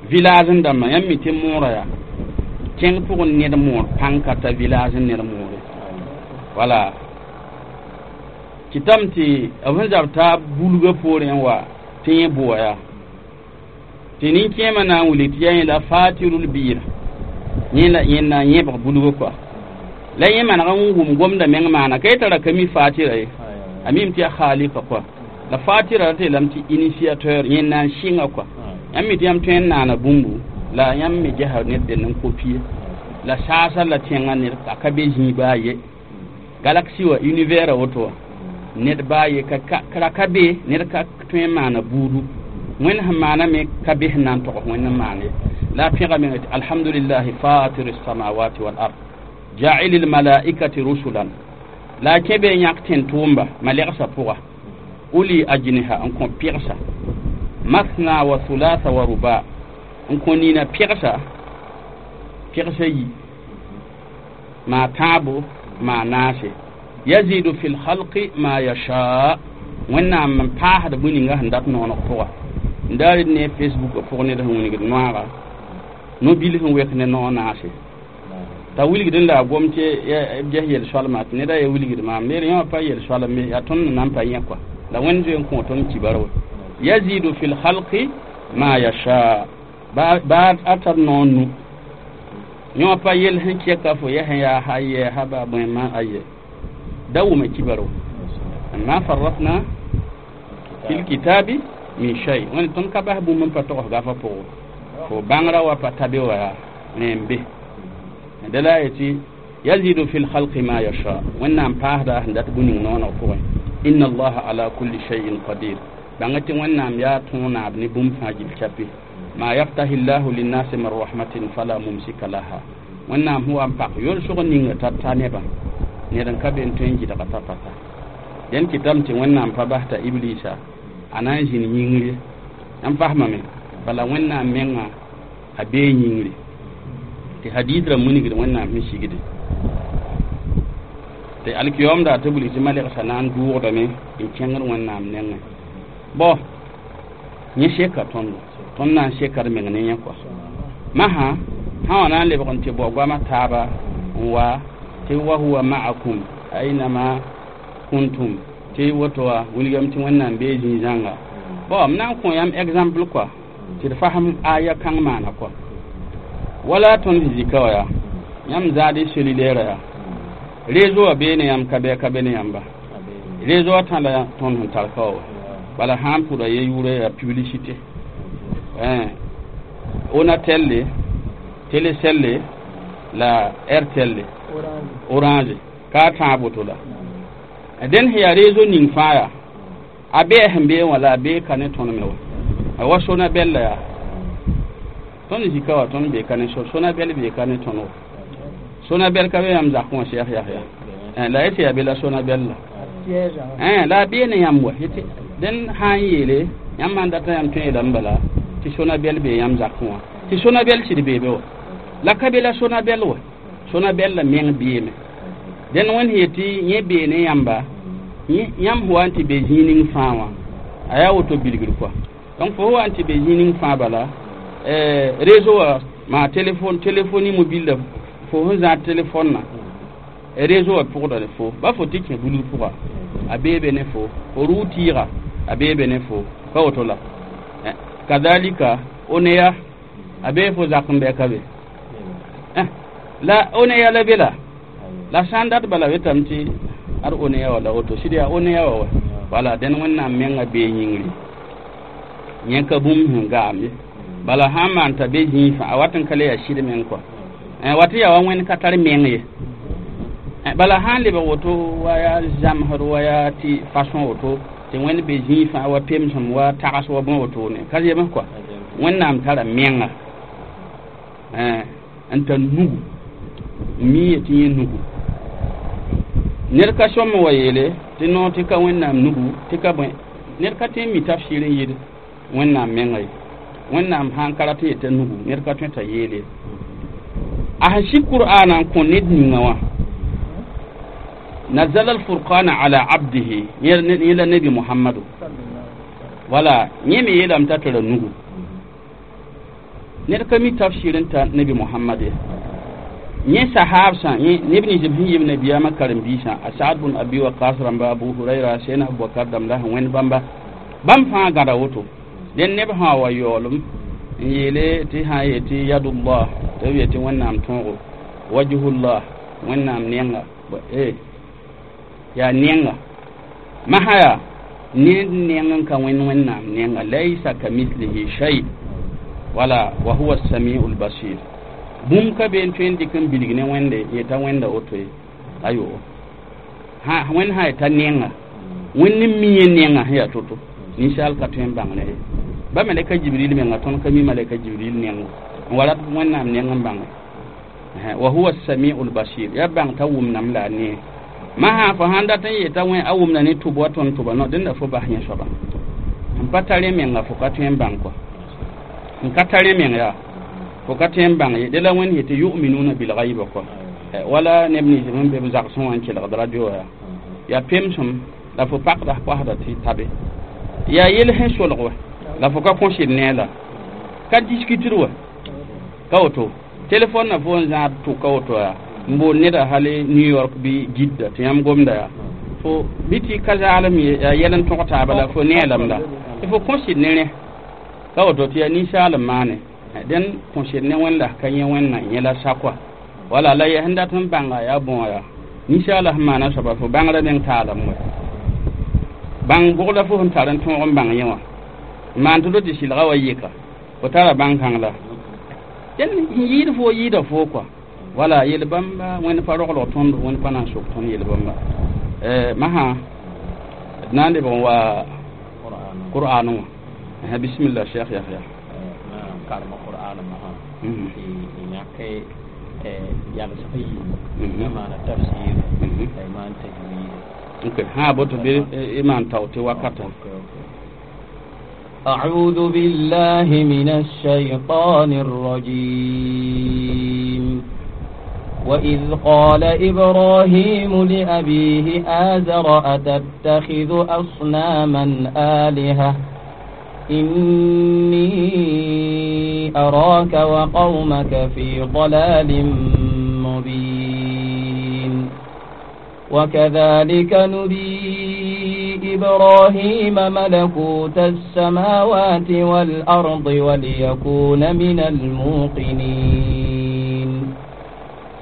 village n dãmbã yãmb mi tɩ moorã yaa tẽng pʋgẽ ned moor pãng ka ta village n ned moore wala kɩtame tɩ b sẽn zab t'a bulgã poorẽ n wa tɩ yẽ bʋa yaa tɩ nin-kẽemã na n wilg tɩ yaa yẽ la fatirul biir yẽ la yẽ na n yẽbg bulgã kɔa la yẽ maneg n wʋm gomda meng maana ka yetara ka mi fatira ye a mim tɩ yaa khalika kɔa la fatira ra tɩ yeelame tɩ initiateur yẽ na n sɩnga kɔa yãmb mi tɩ yãmb tõe n naana bũmbu la yãmb me gesa ned dẽnd n kopie la saasa la tẽngã ned a ka be zĩig baa ye galaxie wa univers a woto wa ned baa ye ka ra ka be ned ka tõe n maana buudu wẽnd sẽn maana me ka be sẽn na n togs wẽnd n maan ye la a pẽga menga tɩ alhamdulillahi fatir الsamawati wal ard ja'il almalaikati rusulan la a kẽ be n yãk tẽn-tʋʋmba malegsã pʋga uli ajniha n kõ pɩgsa mathna wa thulatha wa ruba n kõ nina pɩgsa pɩgsa yi maa tãabo maa naase yazidu fi lhalqi ma yasha wẽnnaam n paasd bũe ninga sẽn dat nooneg pʋga n daar d ne facebook pʋg ned sẽn wilgd noaga no-bil sẽn wek ne noog naase t'a wilgd n la a gom tɩ b ges yel-soalma tɩ neda ya wilgd maam neer yẽ wã pa yel-soalem ye yaa tõnd nan pa yẽ kɔa la wẽnd zoe n kõ tõnd kibar wa yazidu fi lhalqi Ma yasha ba a tar noor nu yõ pa yel sẽn kɛka fo ya sẽn yaa ha yɛ ha ba bõe ma aye da wʋma kibaro ma farratna fil kitabi min shay wẽnd tõnd ka bas bũmb n pa togs gafa pʋgẽ fo bãngrã wa pa ta be wa yaa ne n be dẽ la a yetɩ yazidu fi lhalqi ma yasha wẽnnaam paasda sẽn dat bũ-ning nooneg pʋgẽ inna allaha ala kulli shay'in qadir bãnga tɩ wẽnnaam yaa tõog naab ne bũmb fãa gil chapi ma yaftahi llahu linnasi min rahmatin fala mumsika laha wẽnnaam sẽn wa n pak yolsg ninga t'a ta nebã ned n ka be n tõe n gɩdga t'a pa ta dẽn kɩtame tɩ wẽnnaam pa bas t'a iblisa a na n zĩnd yĩngri n fasmame bala wẽnnaam menga a bee yĩngri tɩ hadis ra munigd wẽnnaam sẽn sigde tɩ alkiyoomda tɩ wilg tɩ malɛgsa na n dʋʋgdame n kẽngd wẽnnaam nengẽ bõ yẽ seka tõndo tõnd na n seka d meng ne yẽ kɔa masã sã wã na n lebg n tɩ bao goamã taaba n wa tɩ wa huwa ma'akum ainama kuntum tɩ woto wa wilgame tɩ wẽnnaam bee zĩig-zãnga bon m na n kõ yãmb exemple kɔa tɩ d fasem aya kãng maana kɔa wala tõnd sẽn zika wã yaa yãmb zaad y cellulaire yaa réseau wã bee ne yãmb ka bɩ ka be ne yãmba réseau wã tã la tõnd sẽn tar ka wa bala sã n pʋda ye yʋʋrã yaa publicité Onatel Telecel la Airtel Orange ka tãab woto la dẽn sẽn yaa réseau ning fãa yaa a bee sẽn bee wã la a bee ka ne tõnd me wa wa Sonabel la yaa tõnd zika wa tõnd bee ka ne Sonabel bee ka ne tõnd wa Sonabel ka be yãmb zakẽ wã sɛk yak ya la y tɩ yaa be la Sonabel la la a bee ne yãmb wa dẽn sã n yeele yãmb sãn data yãmb tõe yeelame bala tɩ Sonabel bee yãmb zakẽ wã tɩ Sonabel sɩd bee be wa la ka be la Sonabel wa Sonabel la meng beeme dẽn wẽnd sẽn yetɩ yẽ bee ne yãmba yãmb wa n tɩ be zĩig ning fãa wã a yaa woto bilgr kɔa donc fo wa n tɩ be zĩig ning fãa bala réseau wã maa téléphone téléphonie mobile la fo sẽn zãad téléphone na réseau wã pʋgda ne fo ba fo tɩ kẽ bulg pʋga a bee be ne fo fo rʋʋ tɩɩga a bee be ne fo pa woto la kadalika oneya a bee fo zak n bɛ ka be la oneya la be la la sã n dat bala wetame tɩ ad oneya wala woto sɩd yaa oneya wa wa wala dẽn wẽnnaam menga bee yĩngri yẽ ka bũmb sẽn gaam ye bala sã n maan t'a be zĩig fãa a wat n ka le yaa sɩd meng kɔa wat yaa wa wẽnd ka tar meng ye bala sã n lebg woto wa yaa zãmsd wa yaa tɩ façon woto tɩ wẽnd be zĩig fãa wa pemsem wa tags wa bõe wotone ka zems kɔa wẽnnaam tara menga n tar nugu n mi yetɩ yẽ nugu ned ka sõm wa yeele tɩ noor tɩ ka wẽnnaam nugu tɩ ka bõe ned ka tõe n mi tafsir n yɩɩd wẽnnaam menga ye wẽnnaam sã n ka rat n yeta nugu ned ka tõe t'a yeele a sẽn sig qur'aana n kõ ned ninga wã nazala alfurqana ala abdihi yẽ la nabi muhammadu wala yẽ me yeelame t'a tara nugu ned ka mi tafsir n ta nabi muhammad ye yẽ sahabsã neb nins b sẽn yɩb nabiyaamã karen-biisã a Saad bun Abi Waqas rãmba Abu Hurayra Sẽna Abubakar dãmb la sẽn wẽnd bãmba bãmb fãa gãda woto dẽn neb sã wa yaoolem n yeele tɩ sã n yetɩ yadullah tɩ b yetɩ wẽnnaam tõogo wajhullah wẽnnaam nenga yaa nenga masã yaa ned neng n ka wẽnd wẽnnaam nenga laysa kamithlihi shay wala wa huwa samiu lbasir bũmb ka be n tõe n dɩk n bilg ne wẽnde yeta wẽnda woto ye ayo wẽnd sã yeta nenga wẽnd n mi yẽ nenga sẽn yaa to-to ninsaal ka tõe n bãng ne ye ba malɛka jibril menga tõnd ka mi malɛka jibril nengo n wa rat wẽnnaam neng n bãnge wa huwa samiu lbasir yaa bãng t'a wʋmdame la a nee masã fo sãn dat n yeta wẽ a wʋmda ne tʋb wa tõnd tʋba no dẽnda fo bas yẽ soaba n pa tar yẽ menga fo ka tõe n bãng kɔa n ka tar yẽ meng yaa fo ka tõe n bãng ye dẽ la wẽnd yetɩ yuminuna bilgaiba kɔa wala neb nins sẽn be b zagsẽ wã n kelgd radio yaa yaa pemsem la fo pakda koasda tɩ tabe yaa yel sẽn solg wa la fo ka kõsɩd ne la ka discuter wa ka woto telefon na fo n zãad tʋka woto yaa n bool neda hali New York bɩ Jidda tɩ yãmb gomda yaa fo bɩ tɩ ka zaalem ye yaa yɛl n tõg taaba la fo neelame la tɩ fo kõsɩd ne rẽ Ka woto tɩ yaa ninsaal n maane dẽn kõsed ne wẽnd la ka yẽ wẽnna yẽ la sakwa wala la ya sẽn dat n bãnga yaa bõo yaa ninsaala sẽn maana soaba fo bãngrã meng taalem wɛ bãng bʋg la fo sẽn tar n tõog n bãng yẽ wã n maan tɩ tɩ sɩlga wa yɩka fo tara bãng-kãng la dẽn n yɩɩd foo yɩɩda foo kɔa wala yel bãmba wẽnd pa roglg tõnd wẽnd pa na n sok tõnd yel bãmba masã d na n lebg n wa qur'an wã bisimilla cheikh yahya karema qur'an masã tɩ yãk yalsg yiib na maana tafsir la y maan tajwid ok ha boto bɩ y maan tao tɩ wakata. أعوذ بالله من الشيطان الرجيم. وإذ قال إبراهيم لأبيه آزر أتتخذ أصناما آلهة؟ إني أراك وقومك في ضلال مبين. وكذلك نري إبراهيم ملكوت السماوات والأرض وليكون من الموقنين.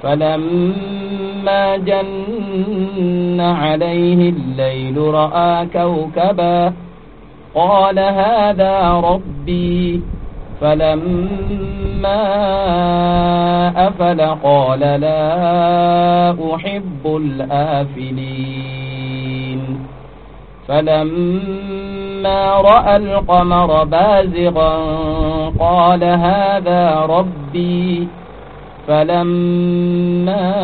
فلما جن عليه الليل رأى كوكبا قال هذا ربي، فلما أفل قال لا أحب الآفلين. فلما رأى القمر بازغا قال هذا ربي، فلما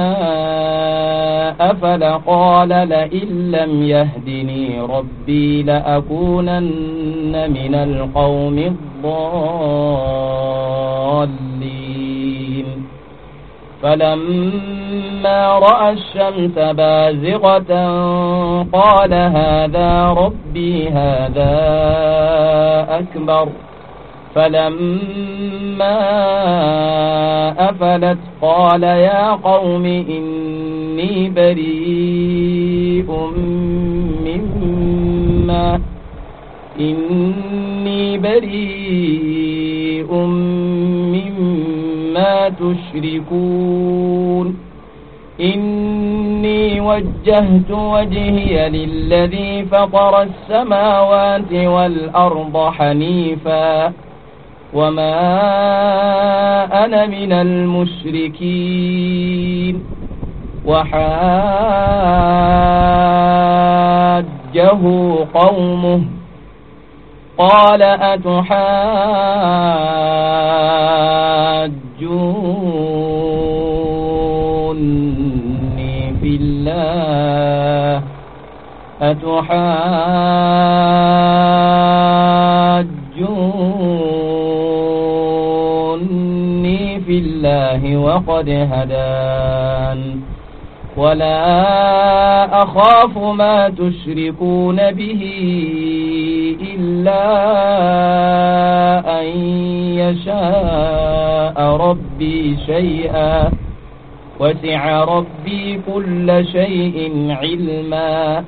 أفل قال لئن لم يهدني ربي لأكونن من القوم الضالين. فلما رأى الشمس بازغة قال هذا ربي هذا أكبر، فلما أفلت قال يا قوم إني بريء مما تشركون. إني وجهت وجهي للذي فطر السماوات والأرض حنيفا وما أنا من المشركين. وحاجه قومه قال أتحاجوني في الله أتحاجوني في الله وقد هدان ولا أخاف ما تشركون به إلا أن يشاء ربي شيئا وسع ربي كل شيء علما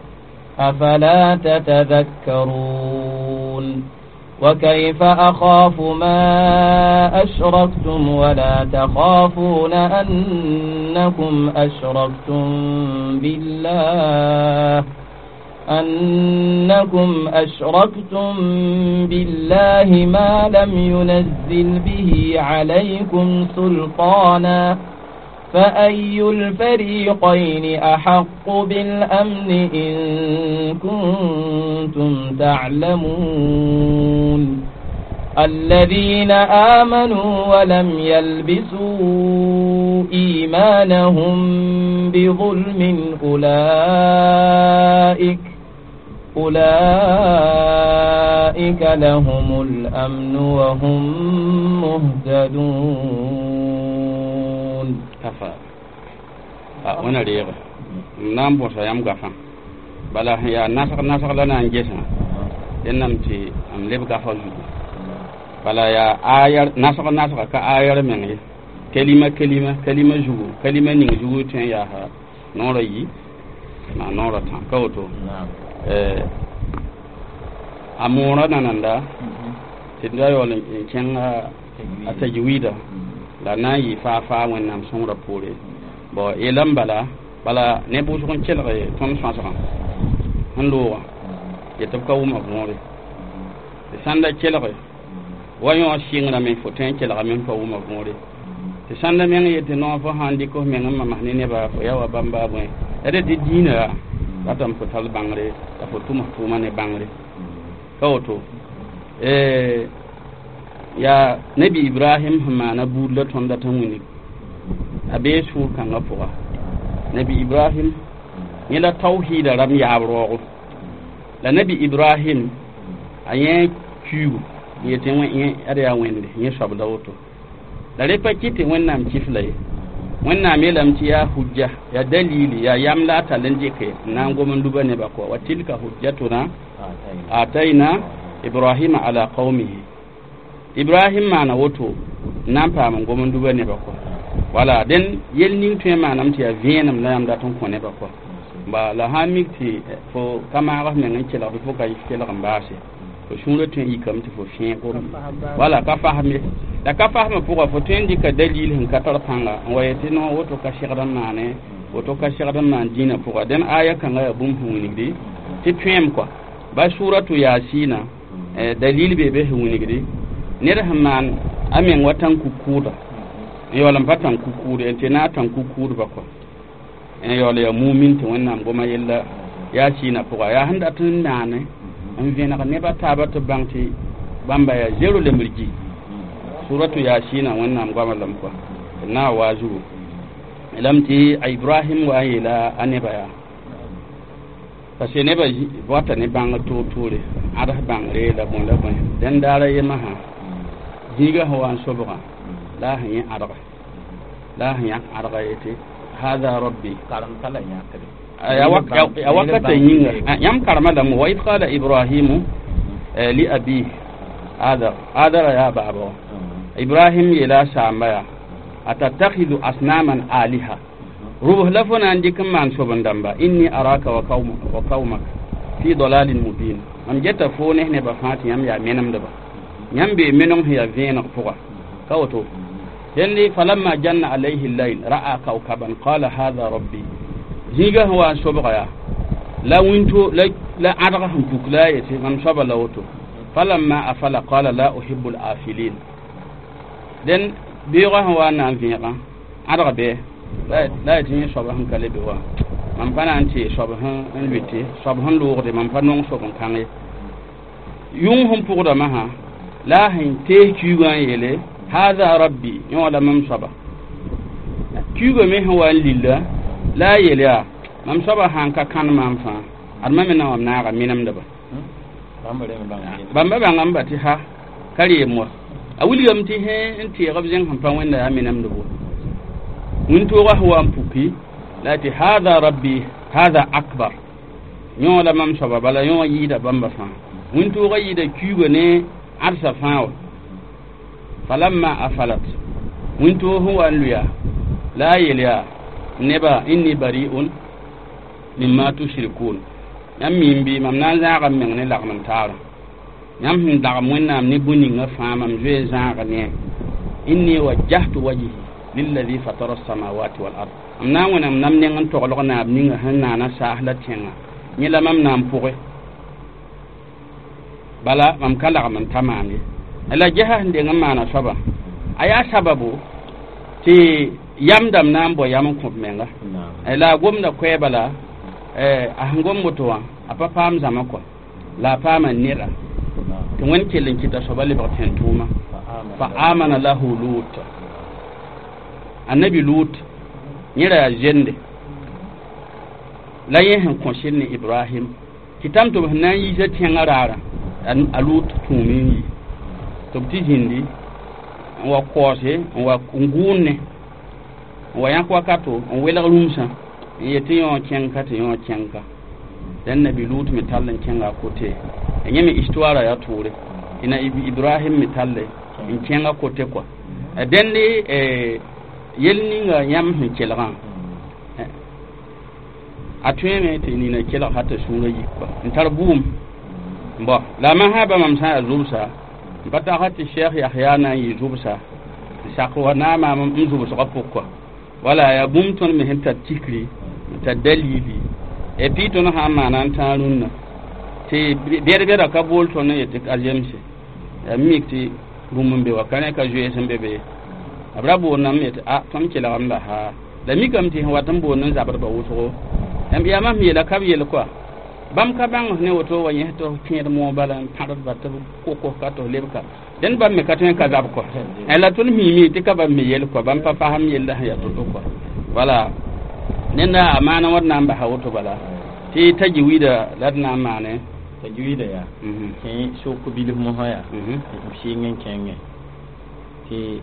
أفلا تتذكرون. وكيف أخاف ما أشركتم ولا تخافون أنكم أشركتم بالله ما لم ينزل به عليكم سلطانا فأي الفريقين أحق بالأمن إن كنتم تعلمون. الذين آمنوا ولم يلبسوا إيمانهم بظلم أولئك لهم الأمن وهم مهتدون. Kafa wẽna reege m na n bõsa yãmb gafã bala sẽn yaa nasg la na n gesã dẽn tɩ m leb gafa zugu bala yaa ayar nasg nasga ka ayar meng ye kalima kalima kalima zugu kalima ning zugu tõe n yaasa noorã yi maa noorã tã ka woto a moorã nananda Tɩ d ra yaool n kẽng a tajwida la na n yɩ faa faa wẽnnaam sõngrã poore. Bon yeelame bala bala ne wʋsg n kelg tõnd sõasgã sẽn loogã yetɩ b ka wʋma võore tɩ sãn da kelge wa yõ sɩngrame fo tõe n kelgame n pa wʋma võore tɩ sãn da meng yetɩ no fo sãn dɩk f meng n mamas ne neba fo ya wa bãmba bõe la dẽ tɩ dĩinã yaa ratame fo tar bãngre la fo tʋm f tʋʋma ne bãngre ka woto yaa nabi Ibrahim sẽn maana buud la tõnd dat n wilg a bee sũur kãngã pʋga nabi Ibrahim yẽ la tawhiida rãmb yaab raoogo la nabi Ibrahim a yẽ kuiigu n yetɩ yẽ ad yaa wẽnde yẽ soab la woto la rẽ pa kɩt tɩ wẽnnaam kifla ye wẽnnaam yeelame tɩ yaa hujja yaa dalili yaa yam la a tall n dɩke n na n gom n luba nebã kɔ wa tilka hujjatuna atayna Ibrahima ala qaumihi Ibrahim maana woto n na n paam n gom n luba nebã kɔ wala dẽn yel ning tõe n maaname tɩ yaa vẽenem la yãmb dat n kõ nebã kɔ ba la sã n mik tɩ fo ka maag f meng n kelg bɩ fo ka kelg n baase fo sũurã tõe n yikame tɩ fo fẽeg wala ka fasem ye la ka fasmã pʋga fo tõe n dɩka dalil sẽn ka tar pãnga n wa yetɩ no woto ka segd n maane woto ka segd n maan dĩinã pʋga dẽn aya kãngã yaa bũmb sẽn wilgdi tɩ tõem kɔa ba suratu Yasina dalil bee be sẽn wilgdi ned sẽn maan a meng wa tãn-ku-kʋʋda n yaool n pa tãn-ku-kʋʋd n tɩ na tãn-ku-kʋʋdba kɔa n yaool yaa mumin tɩ wẽnnaam goma yella Yasina pʋga yaa sẽn dat n maane n vẽneg neba taaba tɩ bãng tɩ bãmba yaa zero lembrgi suratu Yasina wẽnnaam goama lame kɔa tɩ na wa zugu lame tɩ a Ibrahim wa n yeela a nebã yaa parce que nebã bota ne bãngr toor-toore ãds bãngre la bõe la bõe dẽn daara yemã sã zĩigã sẽn wa n sobgã la a sẽn yẽ ãdga la a sẽn yãk ãdga yetɩ hada rabbi karem ka la yãkre ya wakata yĩnga yãmb karema lame wa id qala Ibrahimu li abihi Adar Adara yaa baaba wã Ibrahim yeela a saamba yaa atattakhidu asnaman aliha rubs la fo na n dɩk n maan soben-dãmba inni araka wa qaumaka fi dalalin mubin mam geta fo ne nebã fãa tɩ yãmb yaa menemdba yãmb bee meneng sẽn yaa vẽeneg pʋga ka woto dẽnd falamma janna alayhi llail ra'a kawkaban qala hadha rabbi zĩigã sẽn wa n sobga yaa la wĩnto la ãdg sẽn puk la a yetɩ mam soaba la woto falamma afala qala la uhibbu al-afilin dẽn beoogã sẽn wa n na n vẽegã ãdg bɩ la yetɩ yẽ soab sẽn ka le be wã mam pa na n tɩ soab sẽn lʋɩte soab sẽn loogde mam pa nong soab n kãng ye yũng sẽn pʋgdame sã la a sẽn tees kuigã n yeele hadha rabbi yẽ wã la mam soaba kuigã me sẽn wa n lilla la a yeel yaa mam soaba sãn ka kãn maam fãa ad ma me na wam naaga menemdba bãmba bãngame ba tɩ ha ka reem wa a wilgame tɩ sẽ n teeg b zẽng sẽn pa wẽnda yaa menemdb wa wĩntoogã sẽn wa n puki la tɩ hadha rabbi hadha akbar yõ la mam soaba bala yõ yɩɩda bãmba fãa wĩntoogã yɩɩda kuigã ne ãdsa fãa wa falamma afalat wĩntoog sẽn wa n lʋya la a yeel yaa neba inni bari'un mimma tushrikun yãmb miim bɩ mam na n zãaga m meng ne lagm n taara yãmb sẽn dagem wẽnnaam ne bũ-ningã fãa mam zoe n zãag ne inni wajjahtu wajhi lilladhi fatara samawati wal ard mam na n wẽnnaam nam neng n toglg naab ninga sẽn naana saas la tẽngã yẽ la mam na n pʋgẽ bala mam ka lagm n ta maan ye la gesa sẽn deng n maana soabã a yaa sababu tɩ yam dãmb na n bao yam n kõb menga la a gomda koɛɛ bala a sẽn gom woto wã a pa paam zãma kɔa la a paama neda tɩ wẽnd kell n kɩta soaba lebg tẽn-tʋʋma fa amana lahu Lut annabi Lut yẽ ra yaa zende la yẽ sẽn kõ sɩd ne Ibrahim kɩtame tɩ b sẽn na n yiisa tẽngã raarã a Lut tũum n yi tɩ b tɩ zĩndi n wa kaoose n wa n gʋʋne n wa yãk wakato n welg rũmsã n yetɩ yõ kẽngka tɩ yõ kẽngka dẽn nabi Lut me tall n kẽnga a kote yẽ me histoire yaa tʋʋre tɩ na Ibrahim me talle n kẽnga kote kɔa dẽnd yel ninga yãmb sẽn kelgã a tõeme tɩ nina kelg ha t'a sũurã yik kɔa n tar bʋʋm bõ la a masã ba mam sã n yaa zʋbsa N pa tagsa tɩ Cheikh Yahya na n yɩ zʋbsa n sak wa na n maam n zʋbsgã pʋg kɔa. Wala yaa bũmb tõnd me sẽn tar tikri, n tar dalili. Et puis tõnd sã n maana n tãag rũnnã tɩ bɛd-bɛda ka bool tõnd n yetɩ a zemse. Yaa mik tɩ bũmb n be wa ka rẽ ka zoees n be be. B ra boondame yetɩ a tõnd kelgame la ha. La mikame tɩ sẽn wat n boond n zabdba wʋsgo. Yaa mam yeela ka b yel kɔa. Bãmb ka bãng ne woto wa yẽ tɩ f kẽed moog bala n pãdba tɩ b kokos-ka tɩ f lebka. Dẽnd bãmb me ka tõe n ka zab kɔa. La tõnd miime tɩ ka bãmb me yel kɔa. Bãmb pa fasem yella sẽn yaa to-to kɔa. Wala nenda a maana wãd na n basa woto bala. Tɩ tajwida la d na n maane. Tajwida yaa kẽ sok bilf mosã yaa b sɩng n kẽngẽ tɩ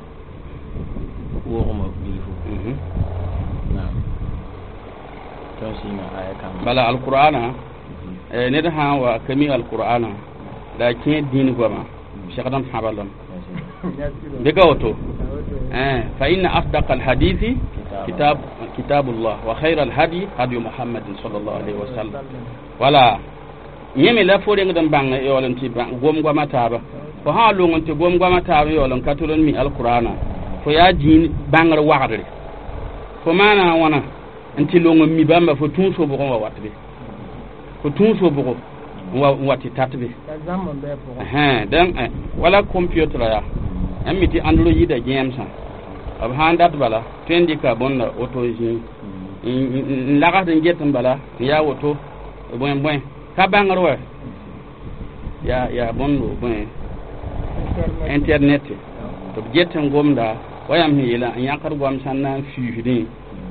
wogma bilfu. Naam. Tõnd sɩnga aya kãngã. Bala alqur'ana ned sã n wa ka mi alqur'ana la a kẽ dĩin goama segd n pãba lame. Bɩ ka woto. Fa inna asdaqa alhadithi kitab kitabullah wa khayra alhadi hadi Muhammadin sallallahu alaihi wasallam. Wala yẽ me la fo rengd n bãng yaool n tɩ gom goama taaba. Fo sã n long n tɩ gom goama taaba yaool n ka tol n mi alqur'ana fo yaa dĩin bãngr wagdre. Fo maana a wãna n tɩ long n mi bãmba fo tũu sobg n wa wat be. Fo tũu sobgo n wa tɩ tat be. Dẽn wala computer yaa n mi tɩ androida gẽemsã b sã n dat bala tõe n dɩka bõnda woto zĩig n lagsd n get n bala n yaa woto bõe bõe ka bãngr wa yaa bõndo bõe internet tɩ b get n gomda wa yãmb sẽn yeelã n yãkd goam sãn na n fiisdẽ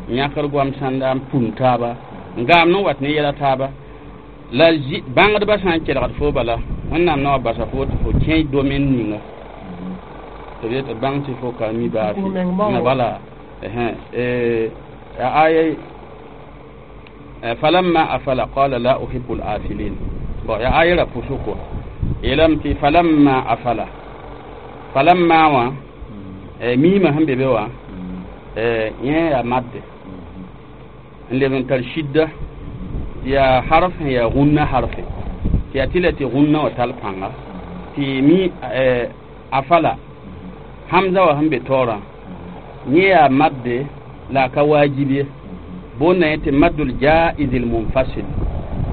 n yãkd goam sãn na n pũm taaba n gaam n wat ne yɛla taaba. La bãngdbã sã n kelgd fo bala Wẽnnaam na wa basa fo tɩ fo kẽ domaine ninga tɩ b yetɩ bãng tɩ fo ka mi baase. Wala aya falamma afala qala la uhibbu al-afilin. Bon ya aya ra pusu ko yeelame tɩ falamma afala falamma wã miimã sẽn be be wã yẽ yaa madde n leb n tar shidda yaa harf sẽn yaa rũnnã harfe tɩ yaa tɩ la tɩ rũnnã wã tall pãnga tɩ mi afala hamza wã sẽn be taoorã yẽ yaa madde la a ka waajib ye boonda yẽ tɩ maddul jaizil munfasil.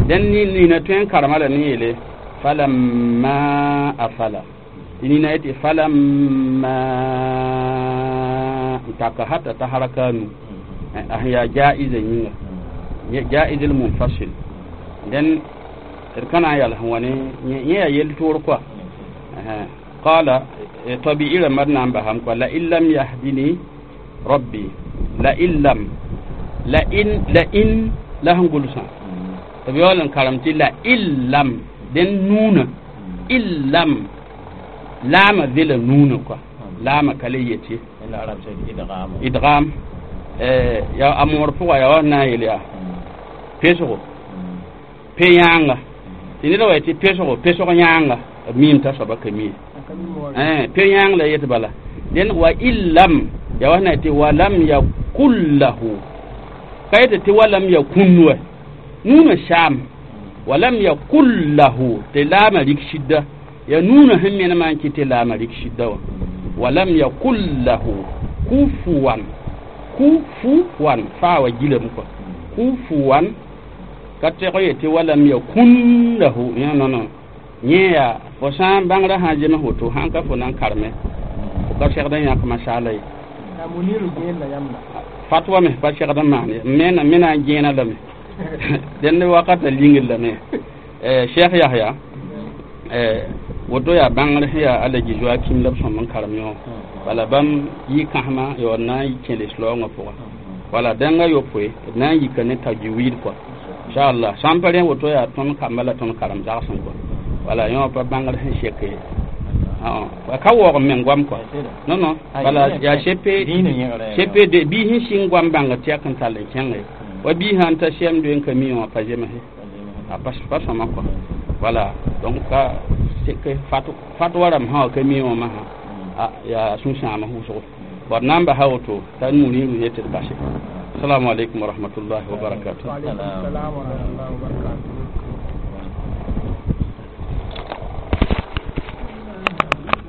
Dẽn nina tõe n karema la ne yeele falamma afala tɩ nina yetɩ falamma n taka hata t'a haraka nu a sẽn yaa jaiza yĩnga jaizil munfasil. Dẽn d ka na n yals n wa ne yẽ yaa yel-toor kɔa. Qala tabi'i rãmba d na n basame kɔa la in lam yahdini rabbi la in lam la in la in la sẽn gʋlsã tɩ b yaool n karem tɩ la in lam dẽn nuunã in lam laama vela nuunã kɔa laama ka le yet ye idgam ya a moor pʋga yaa wa na n yeel yaa pesgo pe yãanga tɩ ned wa yetɩ pesgo pesg yãanga b miim t'a soaba ka mi ye pe yãang la yet bala dẽn wa in lam yaa wa sẽn na yetɩ wa lam yakun lahu ka yetɩ tɩ wa lam yakun wa nuunã saam wa lam yakun lahu tɩ laamã rik shidda ya nuunã sẽn menemã n kɩ tɩ laamã rik shidda wã wa lam yakun lahu kufuwan kufuwan faa wa gilame kɔa kufuwan ka tɛg yetɩ wa lam yakun lahu non non yẽ yaa fo sã n bãngrã sã n zems woto sãn ka fo na n kareme fo ka segd n yãk masaala ye fatwa me pa segd n maan ye me na n gẽena lame dẽnd wakata lingr lame Cheikh Yahya woto yaa bãngr sẽn yaa Alaji Joakim la b sõm n karem yõ wala bãmb yɩ kãsema yaool na n kẽ leslaoongã pʋga wala dẽngã yopoe d na n yika ne tajwid kɔa inchallah sã n pa rẽ woto yaa tõnd kamba la tõnd karem zagsẽ kɔa wala yõ pa bãngr sẽn sek ye ka waoog n meng goam kɔa non non bala yaa CP de bii sẽn sɩng goam bãngr tɛk n tall n kẽnge wa bii sã n ta sɛm doe n ka mi wã pa zemse a pa sõma kɔa wala donc ka sek fatwa rãmb sã wa ka mi wã masã a yaa sũ-sãam wʋsgo bõd na n basa woto t'a muriru yetɩ d base. Assalamu alaikum wa rahmatullahi wa barakatuh. Wa alaikum salam wa rahmatullahi wa barakatuh.